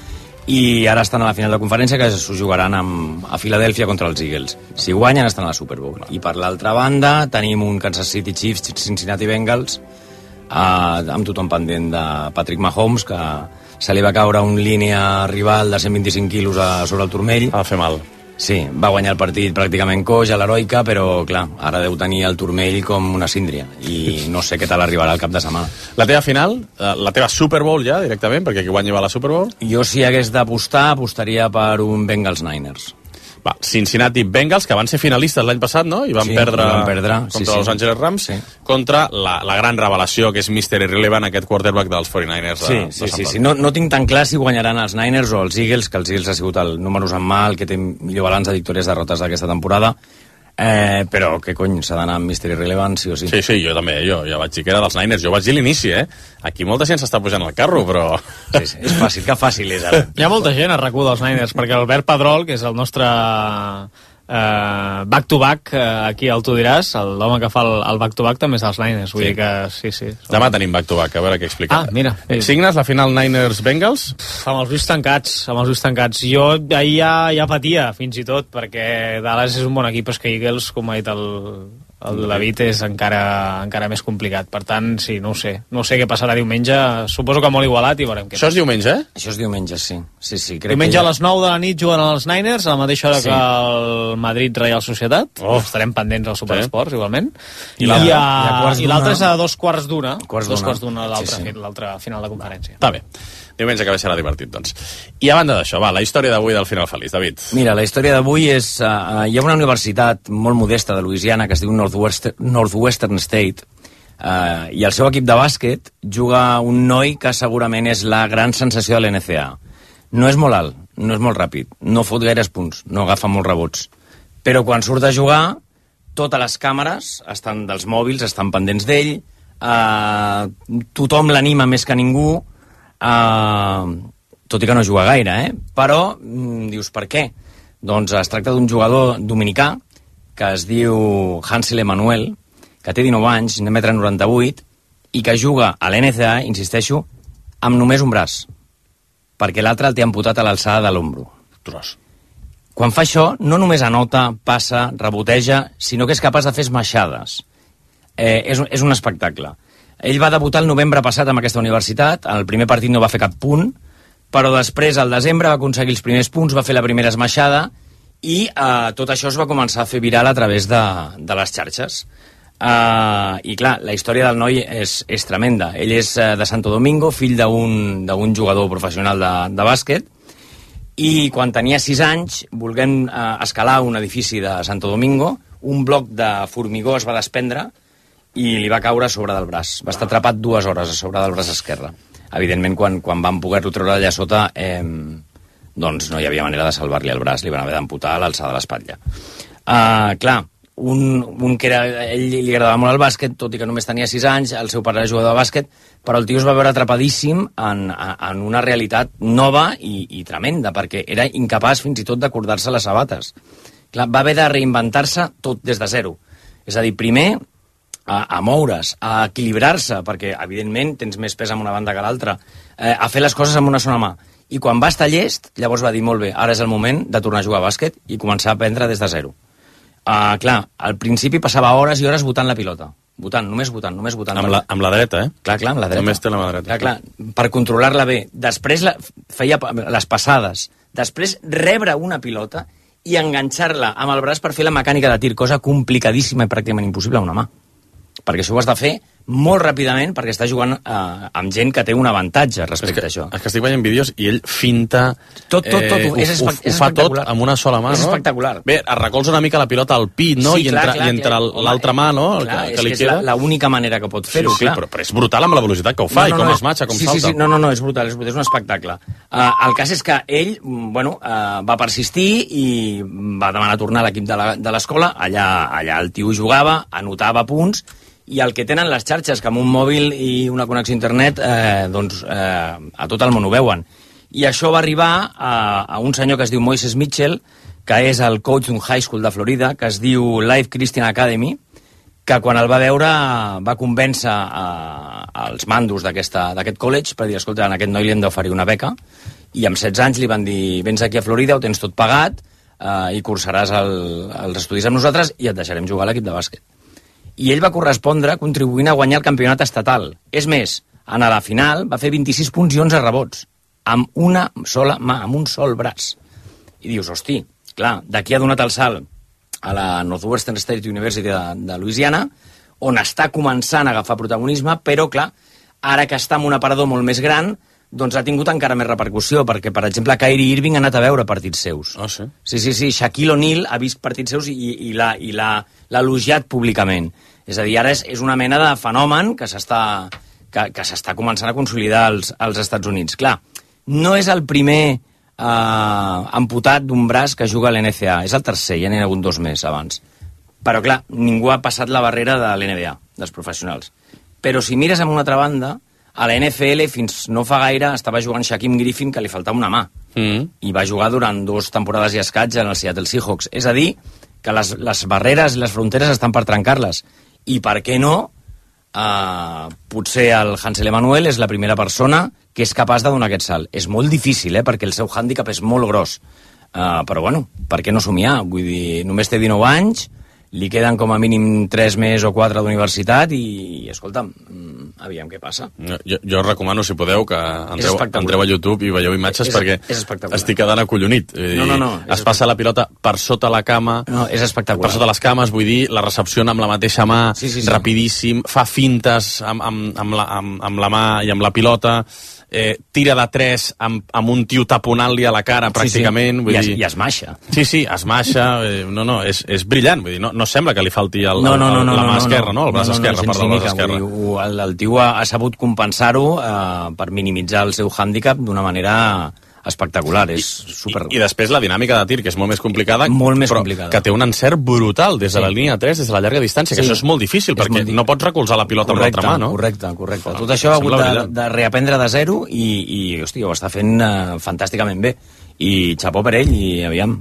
i ara estan a la final de conferència, que s'ho jugaran amb, a Filadèlfia contra els Eagles. Si guanyen, estan a la Super Bowl. I per l'altra banda, tenim un Kansas City Chiefs, Cincinnati Bengals, uh, amb tothom pendent de Patrick Mahomes, que se li va caure un línia rival de cent vint-i-cinc quilos a, sobre el turmell. Va fer mal. Sí, va guanyar el partit pràcticament coix a l'heroica, però clar, ara deu tenir el turmell com una síndria i no sé què tal arribarà al cap de setmana. La teva final, la teva Super Bowl ja, directament, perquè qui guanyi va a la Super Bowl? Jo, si hagués d'apostar, apostaria per un Bengals Niners. Va, Cincinnati Bengals, que van ser finalistes l'any passat, no? I van sí, perdre, van perdre contra sí, Los sí. Angeles Rams, sí. Contra la, la gran revelació, que és míster Irrelevant, aquest quarterback dels quaranta-niners. Sí, de, sí, de sí, sí. No, no tinc tan clar si guanyaran els Niners o els Eagles, que els Eagles ha sigut el números en mà, el que té millor balanç de victòries derrotes d'aquesta temporada. Eh, però, què cony, s'ha d'anar amb míster Irrelevant, sí o sí. Sí, sí, jo també, jo ja vaig dir que era dels Niners, jo vaig dir l'inici, eh? Aquí molta gent s'està pujant al carro, però... Sí, sí, és fàcil, que fàcil és ara. Hi ha molta gent a RAC u dels Niners, perquè Albert Pedrol, que és el nostre uh, back-to-back, uh, aquí el tu diràs, l'home que fa el, el back-to-back també és dels Niners, vull sí. dir que sí, sí. Demà tenim back-to-back, a veure què explica. Ah, mira. Eh, signes la final Niners-Bengals? Amb els ulls tancats, amb els ulls tancats. Jo ahir ja, ja patia, fins i tot, perquè Dallas és un bon equip, és que Eagles, com ha dit el, el David, és encara, encara més complicat. Per tant, sí, no ho sé. No sé què passarà diumenge. Suposo que molt igualat i veurem què. Això és diumenge, eh? Això és diumenge, sí. sí, sí crec diumenge que ja... a les nou de la nit juguen els Niners, a la mateixa hora sí. que el Madrid Real Societat. Oh. Estarem pendents al Superesports, sí. igualment. I l'altre és a dos quarts d'una. Quarts dos quarts d'una l'altra sí, sí. final de conferència. Està bé. Diumenge que serà divertit, doncs. I a banda d'això, va, la història d'avui del final feliç, David. Mira, la història d'avui és... Uh, hi ha una universitat molt modesta de Louisiana que es diu Northwestern, Northwestern State, uh, i el seu equip de bàsquet juga un noi que segurament és la gran sensació de l'N C A. No és molt alt, no és molt ràpid, no fot gaires punts, no agafa molts rebots. Però quan surt a jugar, totes les càmeres estan dels mòbils, estan pendents d'ell, uh, tothom l'anima més que ningú, Uh, tot i que no juga gaire, eh? Però mm, dius per què? Doncs es tracta d'un jugador dominicà que es diu Hansel Emanuel, que té dinou anys, un metre noranta-vuit, i que juga a l'N C A, insisteixo, amb només un braç, perquè l'altre el té amputat a l'alçada de l'ombro. Quan fa això, no només anota, passa, reboteja, sinó que és capaç de fer esmaixades. Eh, és, és un espectacle. Ell va debutar el novembre passat amb aquesta universitat, el primer partit no va fer cap punt, però després, al desembre, va aconseguir els primers punts, va fer la primera esmaixada, i eh, tot això es va començar a fer viral a través de, de les xarxes. Eh, I clar, la història del noi és, és tremenda. Ell és eh, de Santo Domingo, fill d'un d'un jugador professional de, de bàsquet, i quan tenia sis anys, volent eh, escalar un edifici de Santo Domingo, un bloc de formigó es va desprendre i li va caure a sobre del braç. Va estar atrapat dues hores a sobre del braç esquerre. Evidentment, quan, quan van poder-lo treure allà sota, eh, doncs no hi havia manera de salvar-li el braç, li van haver d'amputar a l'alçada de l'espatlla. Uh, clar, un, un que era, ell li agradava molt el bàsquet, tot i que només tenia sis anys, el seu pare era jugador de bàsquet, però el tio es va veure atrapadíssim en, en una realitat nova i, i tremenda, perquè era incapaç fins i tot d'acordar-se les sabates. Clar, va haver de reinventar-se tot des de zero. És a dir, primer, a, a moure's, a equilibrar-se, perquè, evidentment, tens més pes en una banda que l'altra, eh, a fer les coses amb una sola mà. I quan va estar llest, llavors va dir, molt bé, ara és el moment de tornar a jugar a bàsquet i començar a aprendre des de zero. Uh, clar, al principi passava hores i hores votant la pilota. Votant, només votant, només votant. Amb la, amb la dreta, eh? Clar, clar, amb la dreta. Només té la mà dreta. Clar, clar, per controlar-la bé. Després la, feia les passades. Després rebre una pilota i enganxar-la amb el braç per fer la mecànica de tir, cosa complicadíssima i pràcticament impossible amb una mà. Perquè això ho has de fer molt ràpidament perquè està jugant eh, amb gent que té un avantatge respecte que, a això. És que estic veient vídeos i ell finta... Tot, tot, tot. Eh, és, ho, és ho fa tot amb una sola mà, és no? espectacular. Bé, es recolza una mica la pilota al pit, no? Sí, I, clar, entra, clar, i entre clar. l'altra mà, no? El Clar, que, és que li que queda. és l'única manera que pot fer-ho, sí, sí, clar. però, però és brutal amb la velocitat que ho fa no, no, i com no, es matxa, com sí, salta. Sí, sí, no, no, no, és brutal, és, brutal, és un espectacle. Uh, el cas és que ell, bueno, uh, va persistir i va demanar tornar a l'equip de l'escola, allà, allà el tio jugava, anotava punts, i el que tenen les xarxes, que amb un mòbil i una connexió a internet, eh, doncs eh, a tot el món ho veuen. I això va arribar a, a un senyor que es diu Moises Mitchell, que és el coach d'un high school de Florida, que es diu Life Christian Academy, que quan el va veure va convèncer eh, els mandos d'aquest college per dir, escolta, a aquest noi li hem d'oferir una beca, i amb setze anys li van dir, vens aquí a Florida, ho tens tot pagat, eh, i cursaràs el, els estudis amb nosaltres i et deixarem jugar a l'equip de bàsquet. I ell va correspondre contribuint a guanyar el campionat estatal. És més, en la final va fer vint-i-sis punts i onze rebots, amb una sola mà, amb un sol braç. I dius, hosti, clar, d'aquí ha donat el salt a la Northwestern State University de, de Louisiana, on està començant a agafar protagonisme, però, clar, ara que està en un aparador molt més gran, doncs ha tingut encara més repercussió, perquè, per exemple, Kyrie Irving ha anat a veure partits seus. Ah, sí? Sí, sí, sí. Shaquille O'Neal ha vist partits seus i, i l'ha elogiat públicament. És a dir, ara és, és una mena de fenomen que s'està que, que s'està començant a consolidar als, als Estats Units. Clar, no és el primer eh, amputat d'un braç que juga a l'N C A, és el tercer, ja n'hi ha hagut dos més abans. Però, clar, ningú ha passat la barrera de l'N B A, dels professionals. Però si mires a una altra banda, a la N F L fins no fa gaire estava jugant Shaquem Griffin, que li faltava una mà. Mm. I va jugar durant dues temporades i escaig en el Seattle Seahawks. És a dir, que les, les barreres i les fronteres estan per trencar-les. I per què no? Uh, potser el Hansel Emanuel és la primera persona que és capaç de donar aquest salt. És molt difícil, eh? Perquè el seu hàndicap és molt gros. Uh, però bueno, per què no somiar? Vull dir, només té dinou anys, li queden com a mínim tres més o quatre d'universitat i, i escolta'm, aviam què passa. Jo, jo recomano, si podeu, que entreu, entreu a YouTube i veieu imatges, és, perquè és estic quedant acollonit. No, no, no, es passa la pilota per sota la cama, no, és espectacular. Per sota les cames, vull dir, la recepciona amb la mateixa mà, sí, sí, sí. rapidíssim, fa fintes amb, amb, amb, la, amb, amb la mà i amb la pilota, eh, tira de tres amb, amb un tio taponant-li a la cara, pràcticament. Sí, sí. Vull I, es, dir... I es maixa. Sí, sí, es maixa. Eh, no, no, és, és brillant. Vull dir, no, no sembla que li falti el, no, no, no, el, no, la mà no, no, esquerra, no? El braç no, no, esquerre, no, perdó, el braç esquerre. Dir, el, el tio ha, ha sabut compensar-ho eh, per minimitzar el seu hàndicap d'una manera espectacular, és super... I, I després la dinàmica de tir, que és molt més complicada, molt més però complicada. Que té un encert brutal des de sí. la línia tres, des de la llarga distància, sí. que això és molt difícil, és perquè molt... no pots recolzar la pilota correcte, amb l'altra mà, no? Correcte, correcte. Tot això ha hagut de, de reaprendre de zero i, i hosti, ho està fent uh, fantàsticament bé. I xapó per ell, i aviam,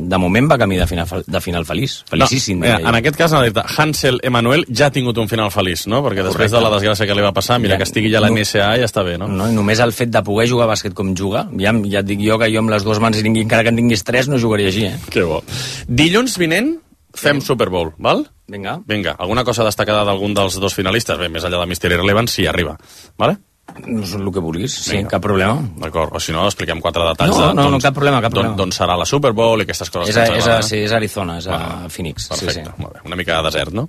de moment va camí de final, de final feliç, felicíssim. No, mira, en aquest cas, Hansel Emanuel ja ha tingut un final feliç, no? Perquè després Correcte. de la desgràcia que li va passar, mira, ja, que estigui ja a la N C A ja està bé, no? No, i només el fet de poder jugar a bàsquet com juga, ja, ja et dic jo que jo amb les dues mans, encara que en tinguis tres, no jugaria així, eh? Que bo. Dilluns vinent fem sí. Super Bowl, val? Vinga. Vinga, alguna cosa destacada d'algun dels dos finalistes? Bé, més enllà de Mister Irrelevant, si arriba, vale? No és el que vulguis, sí, Vinga. Cap problema. D'acord, o si no, expliquem quatre detalls. No, de, no, doncs, no, cap problema, cap problema. D'on serà la Super Bowl i aquestes coses. És a, és a, sí, és a Arizona, és a ah, Phoenix. Perfecte, sí, sí. Molt bé. Una mica de desert, no?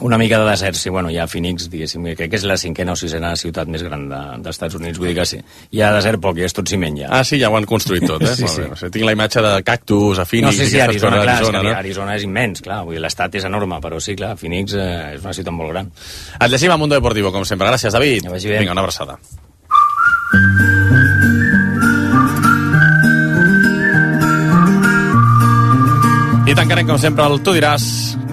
Una mica de desert, sí, bueno, hi ha Phoenix, diguéssim, crec que és la cinquena o sisena ciutat més gran de, dels Estats Units, vull dir que sí. Hi ha desert poc, i és tot ciment ja. Ah, sí, ja ho han construït tot, eh? sí, molt sí. bé. O sigui, tinc la imatge de cactus a Phoenix. No, sí, sí, Arizona, clar, Arizona, és no? Arizona és immens, clar, vull dir, l'estat és enorme, però sí, clar, Phoenix eh, és una ciutat molt gran. Et llegim a Mundo Deportivo, com sempre. Gràcies, David. Que vagi bé. Vinga, una abraçada. I tancarem, com sempre, el Tu diràs,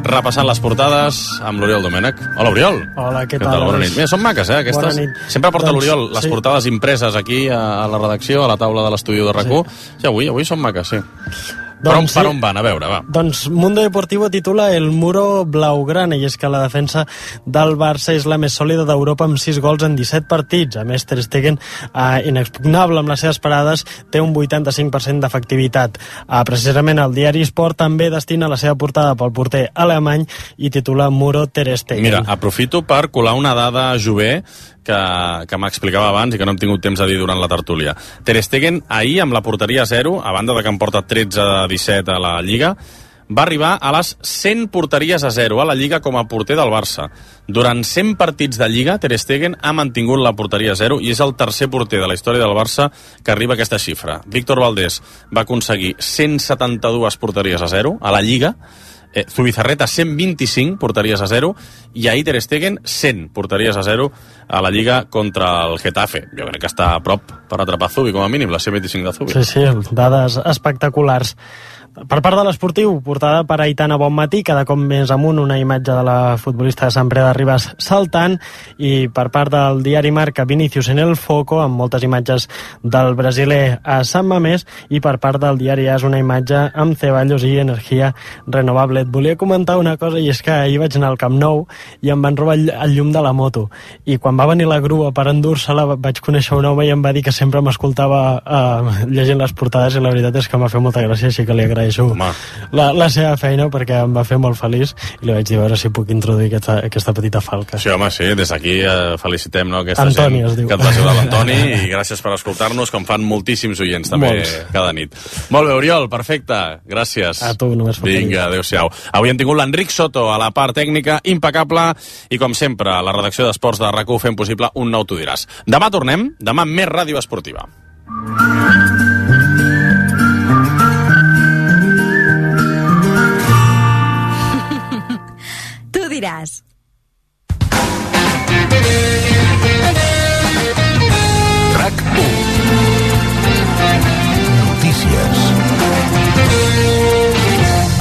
repassant les portades amb l'Oriol Domènech. Hola, Oriol. Hola, què, què tal? Bona nit. Mira, són maques, eh, aquestes. Bona nit. Sempre porta doncs, l'Oriol les sí. portades impreses aquí a, a la redacció, a la taula de l'estudi de RAC u. Sí. I avui, avui són maques, sí. Per on, Doncs per sí. on van? A veure, va. Doncs Mundo Deportivo titula El muro blaugrana, i és que la defensa del Barça és la més sòlida d'Europa amb sis gols en disset partits. A més, Ter Stegen, eh, inexpugnable amb les seves parades, té un vuitanta-cinc per cent d'efectivitat. Eh, precisament el diari Sport també destina la seva portada pel porter alemany i titula Muro Ter Stegen. Mira, aprofito per colar una dada jove que, que m'explicava abans i que no hem tingut temps de dir durant la tertúlia. Ter Stegen ahir amb la porteria zero, a banda de que en porta tretze de disset a la Lliga, va arribar a les cent porteries a zero a la Lliga com a porter del Barça. Durant cent partits de Lliga, Ter Stegen ha mantingut la porteria a zero i és el tercer porter de la història del Barça que arriba a aquesta xifra. Víctor Valdés va aconseguir cent setanta-dues porteries a zero a la Lliga, eh, Zubizarreta cent vint-i-cinc porteries a zero i ahir Ter Stegen cent porteries a zero a la Lliga contra el Getafe. Jo crec que està a prop per atrapar Zubi, com a mínim, la cent vint-i-cinc de Zubi. Sí, sí, dades espectaculars. Per part de l'esportiu, portada per Aitana Bonmatí, cada cop més amunt una imatge de la futbolista de Sant Pere de Ribes saltant, i per part del diari Marca, Vinicius en el foco, amb moltes imatges del brasiler a Sant Mamés, i per part del diari AS una imatge amb Ceballos i energia renovable. Et volia comentar una cosa, i és que ahir vaig anar al Camp Nou i em van robar el llum de la moto, i quan va venir la grua per endur-se-la vaig conèixer un home i em va dir que sempre m'escoltava eh, llegint les portades, i la veritat és que m'ha fet molta gràcia, així que li agraeixo la, la seva feina, perquè em va fer molt feliç, i li vaig dir a veure si puc introduir aquesta, aquesta petita falca. Sí, home, sí, des d'aquí eh, felicitem, no, aquesta Antoni, gent es diu. que et va ajudar l'Antoni, i gràcies per escoltar-nos, com fan moltíssims oients també Molts. cada nit. Molt bé, Oriol, perfecte, gràcies. A tu, només faltaria. Vinga, adéu-siau. Avui hem tingut l'Enric Soto a la part tècnica, impecable, i com sempre, la redacció d'Esports de RAC u fent possible un nou Tu diràs. Demà tornem, demà més ràdio esportiva. Tu diràs. RAC u. Notícies.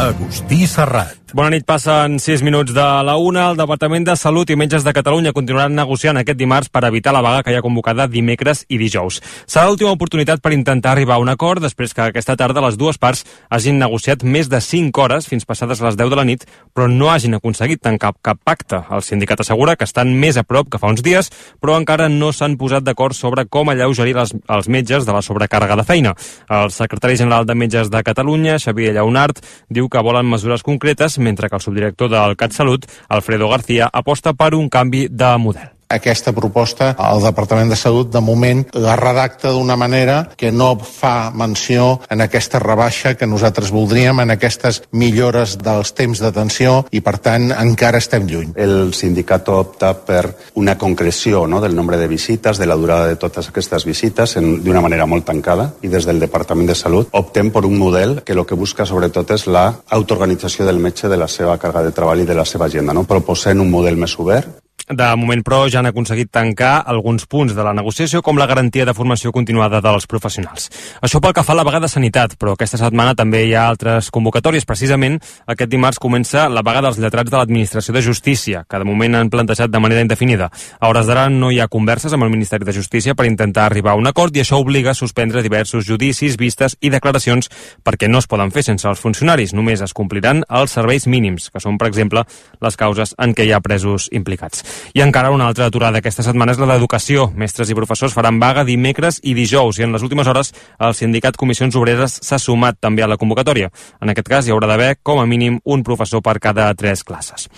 Agustí Serrat. Bona nit, passen sis minuts de la una. El Departament de Salut i Metges de Catalunya continuaran negociant aquest dimarts per evitar la vaga que hi ha convocada dimecres i dijous. Serà l'última oportunitat per intentar arribar a un acord després que aquesta tarda les dues parts hagin negociat més de cinc hores fins passades les deu de la nit, però no hagin aconseguit tancar cap pacte. El sindicat assegura que estan més a prop que fa uns dies, però encara no s'han posat d'acord sobre com alleugerir les, els metges de la sobrecàrrega de feina. El secretari general de Metges de Catalunya, Xavier Lleonart, diu que volen mesures concretes, mentre que el subdirector del CatSalut, Alfredo García, aposta per un canvi de model. Aquesta proposta, el Departament de Salut, de moment, la redacta d'una manera que no fa menció en aquesta rebaixa que nosaltres voldríem, en aquestes millores dels temps d'atenció, i, per tant, encara estem lluny. El sindicato opta per una concreció, no?, del nombre de visites, de la durada de totes aquestes visites, d'una manera molt tancada, i des del Departament de Salut optem per un model que el que busca, sobretot, és la autoorganització del metge de la seva càrrega de treball i de la seva agenda, no?, proposant un model més obert. De moment, però, ja han aconseguit tancar alguns punts de la negociació, com la garantia de formació continuada dels professionals. Això pel que fa a la vaga de sanitat, però aquesta setmana també hi ha altres convocatòries. Precisament, aquest dimarts comença la vaga dels lletrats de l'Administració de Justícia, que de moment han plantejat de manera indefinida. A hores d'ara no hi ha converses amb el Ministeri de Justícia per intentar arribar a un acord, i això obliga a suspendre diversos judicis, vistes i declaracions, perquè no es poden fer sense els funcionaris. Només es compliran els serveis mínims, que són, per exemple, les causes en què hi ha presos implicats. I encara una altra aturada aquesta setmana és la d'educació. Mestres i professors faran vaga dimecres i dijous, i en les últimes hores el sindicat Comissions Obreres s'ha sumat també a la convocatòria. En aquest cas hi haurà d'haver com a mínim un professor per cada tres classes.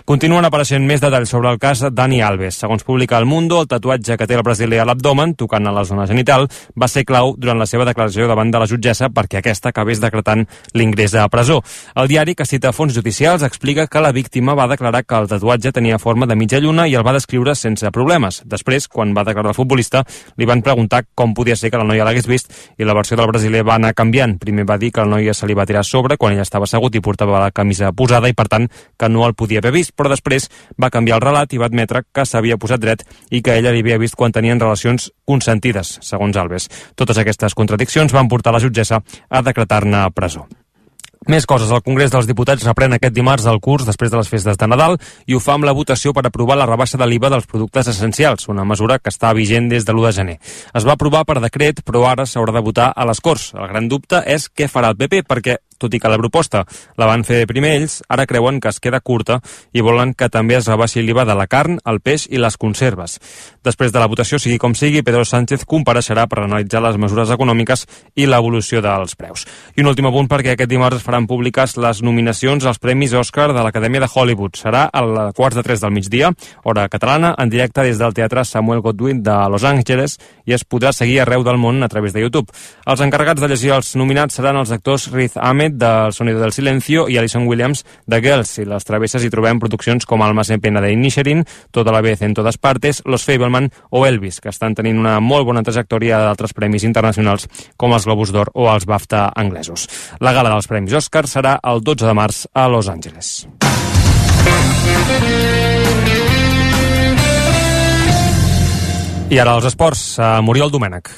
Continuen apareixent més detalls sobre el cas Dani Alves. Segons publica El Mundo, el tatuatge que té el brasiler a l'abdomen, tocant a la zona genital, va ser clau durant la seva declaració davant de la jutgessa perquè aquesta acabés decretant l'ingrés a presó. El diari, que cita fons judicials, explica que la víctima va declarar que el tatuatge tenia forma de mitja lluna i el va descriure sense problemes. Després, quan va declarar el futbolista, li van preguntar com podia ser que la noia l'hagués vist, i la versió del brasiler va anar canviant. Primer va dir que la noia se li va tirar a sobre quan ell estava assegut i portava la camisa posada i, per tant, que no el podia haver vist, però després va canviar el relat i va admetre que s'havia posat dret i que ella li havia vist quan tenien relacions consentides, segons Alves. Totes aquestes contradiccions van portar la jutgessa a decretar-ne presó. Més coses. El Congrés dels Diputats reprèn aquest dimarts el curs després de les festes de Nadal i ho fa amb la votació per aprovar la rebaixa de l'I V A dels productes essencials, una mesura que està vigent des de l'u de gener. Es va aprovar per decret, però ara s'haurà de votar a les Corts. El gran dubte és què farà el P P, perquè tot i que la proposta la van fer primer ells, ara creuen que es queda curta i volen que també es rebaixi l'I V A de la carn, el peix i les conserves. Després de la votació, sigui com sigui, Pedro Sánchez compareixerà per analitzar les mesures econòmiques i l'evolució dels preus. I un últim apunt perquè aquest dimarts es faran públiques les nominacions als Premis Òscar de l'Acadèmia de Hollywood. Serà a les quarts de tres del migdia, hora catalana, en directe des del Teatre Samuel Goldwyn de Los Angeles i es podrà seguir arreu del món a través de YouTube. Els encarregats de llegir els nominats seran els actors Riz Ahmed de El Sonido del Silencio i Alison Williams de Girls. I les travesses hi trobem produccions com Almas en pena de Inisherin, Toda la vez en todas partes, Los Fabelman o Elvis, que estan tenint una molt bona trajectòria d'altres premis internacionals com els Globus d'Or o els BAFTA anglesos. La gala dels Premis Òscar serà el dotze de març a Los Angeles. I ara els esports, a Muriel Domènech.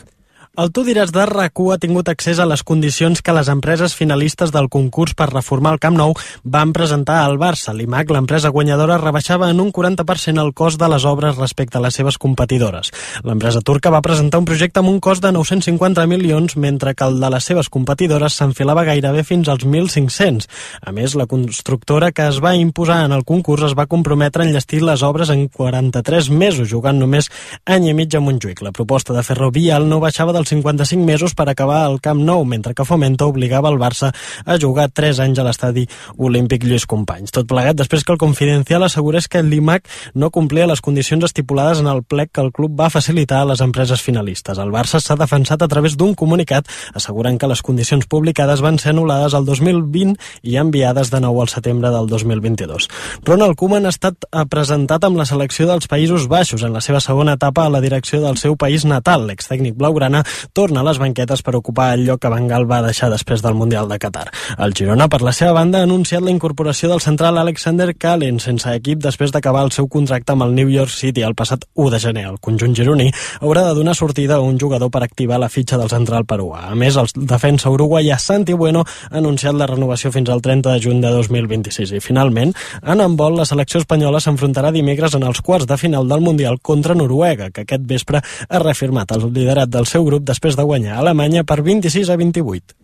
El Tu diràs de RAC u ha tingut accés a les condicions que les empreses finalistes del concurs per reformar el Camp Nou van presentar al Barça. L'I M A C, l'empresa guanyadora, rebaixava en un quaranta per cent el cost de les obres respecte a les seves competidores. L'empresa turca va presentar un projecte amb un cost de nou-cents cinquanta milions, mentre que el de les seves competidores s'enfilava gairebé fins als mil cinc-cents. A més, la constructora que es va imposar en el concurs es va comprometre a enllestir les obres en quaranta-tres mesos, jugant només any i mig a Montjuïc. La proposta de Ferrovial no baixava dels cinquanta-cinc mesos per acabar el Camp Nou, mentre que Fomento obligava el Barça a jugar tres anys a l'estadi olímpic Lluís Companys. Tot plegat després que el Confidencial assegurés que l'I M A C no complia les condicions estipulades en el plec que el club va facilitar a les empreses finalistes. El Barça s'ha defensat a través d'un comunicat assegurant que les condicions publicades van ser anul·lades el dos mil vint i enviades de nou al setembre del dos mil vint-i-dos. Ronald Koeman ha estat presentat amb la selecció dels Països Baixos en la seva segona etapa a la direcció del seu país natal. L'extècnic blaugrana torna a les banquetes per ocupar el lloc que Van Gaal va deixar després del Mundial de Qatar. El Girona, per la seva banda, ha anunciat la incorporació del central Alexander Callens sense equip després d'acabar el seu contracte amb el New York City el passat u de gener. El conjunt gironí haurà de donar sortida a un jugador per activar la fitxa del central peruà. A més, el defensa uruguaià Santi Bueno ha anunciat la renovació fins al trenta de juny de dos mil vint-i-sis. I finalment, en handbol, la selecció espanyola s'enfrontarà dimecres en els quarts de final del Mundial contra Noruega, que aquest vespre ha reafirmat el liderat del seu grup després de guanyar a Alemanya per vint-i-sis a vint-i-vuit.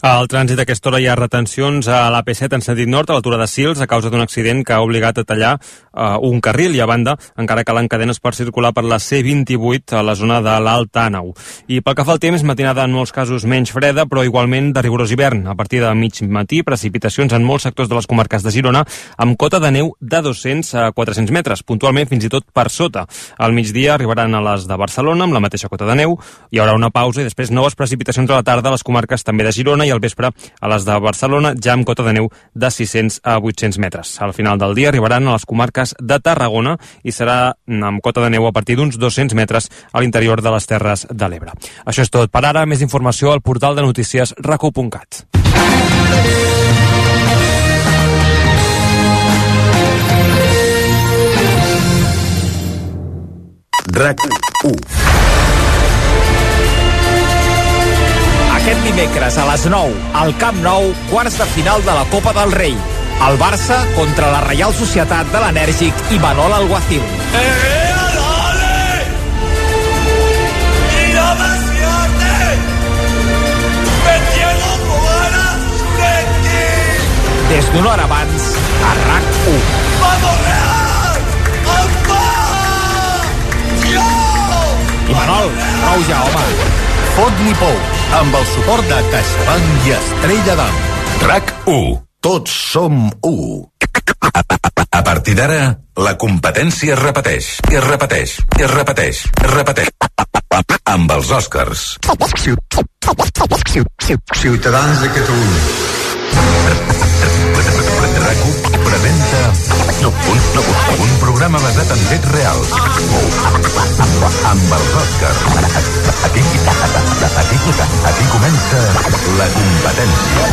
Al trànsit a aquesta hora hi ha retencions a l'A P set en sentit nord, a l'altura de Sils, a causa d'un accident que ha obligat a tallar uh, un carril, i a banda encara calen cadenes per circular per la C vint-i-vuit a la zona de l'Alt Àneu. I pel que fa al temps, matinada en molts casos menys freda, però igualment de rigorós hivern. A partir de mig matí, precipitacions en molts sectors de les comarques de Girona, amb cota de neu de dos-cents a quatre-cents metres, puntualment fins i tot per sota. Al migdia arribaran a les de Barcelona amb la mateixa cota de neu, hi haurà una pausa i després noves precipitacions a la tarda a les comarques també de Girona, i al vespre a les de Barcelona ja amb cota de neu de sis-cents a vuit-cents metres. Al final del dia arribaran a les comarques de Tarragona i serà amb cota de neu a partir d'uns dos-cents metres a l'interior de les Terres de l'Ebre. Això és tot per ara. Més informació al portal de notícies rac u punt cat. RAC u. Aquest dimecres a les nou, al Camp Nou, quarts de final de la Copa del Rei. El Barça contra la Reial Societat de l'enèrgic Imanol Alguacil. Des d'una hora abans, a RAC u. Imanol, prou ja, home. Fot-li pou, amb el suport de CaixaBank i Estrella d'Am. RAC u. Tots som u. A partir d'ara, la competència es repeteix, i es repeteix, i es repeteix, es repeteix. Amb els Oscars. Ciutadans de Catalunya. RAC u presenta un, un programa basat en fets reals. Amb els Oscars. Aquí, aquí, aquí comença la competència.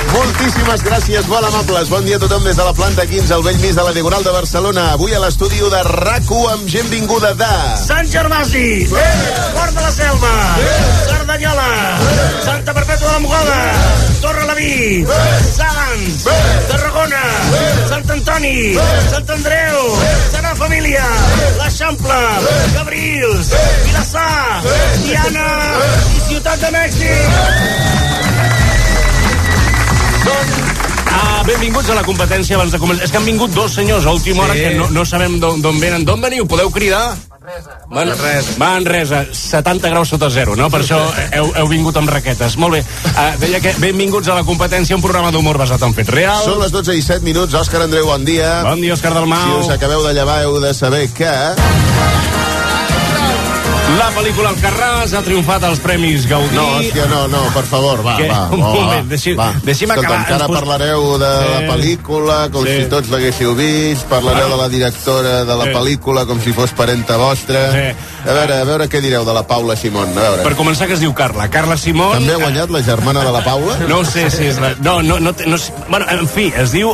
Moltíssimes gràcies, molt amables. Bon dia a tothom des de la planta quinze, al vell mig de la Diagonal de Barcelona. Avui a l'estudi de RAC u amb gent vinguda de... Sant Gervasi, sí. Port de la Selva, sí. Cerdanyola, sí. Santa Perpètua de la Mogoda, sí. Torre Laví, sí. Sants, sí. Tarragona, sí. Sant Antoni, Antoni, Sant Andreu, Sagrada Família, l'Eixample, Cabrils, Vilassar, Tiana i Ciutat de Mèxic. Ah, benvinguts a la competència abans de començar. És que han vingut dos senyors a última hora sí. que no, no sabem d'on venen. D'on veniu? Podeu cridar? Manresa. Manresa, setanta graus sota zero, no? Per això heu, heu vingut amb raquetes. Molt bé. Uh, deia que benvinguts a la competència, un programa d'humor basat en fets reals. Són les dotze i set minuts. Òscar Andreu, bon dia. Bon dia, Òscar Dalmau. Si us acabeu de llevar, heu de saber que... La pel·lícula Alcarràs ha triomfat als Premis Gaudí. No, hòstia, no, no, per favor, va, que, va. Un va, moment, deixi, va. deixi'm Escolta, acabar. encara pos... parlareu de sí. la pel·lícula com sí. si tots l'haguéssiu vist, parlareu ah. de la directora de la sí. pel·lícula com si fos parenta vostra. Sí. A veure, a veure què direu de la Paula Simón. A veure. Per començar, que es diu Carla. Carla Simón... També ha guanyat la germana de la Paula? No sé si és la... No, no, no, no, no, bueno, en fi, es diu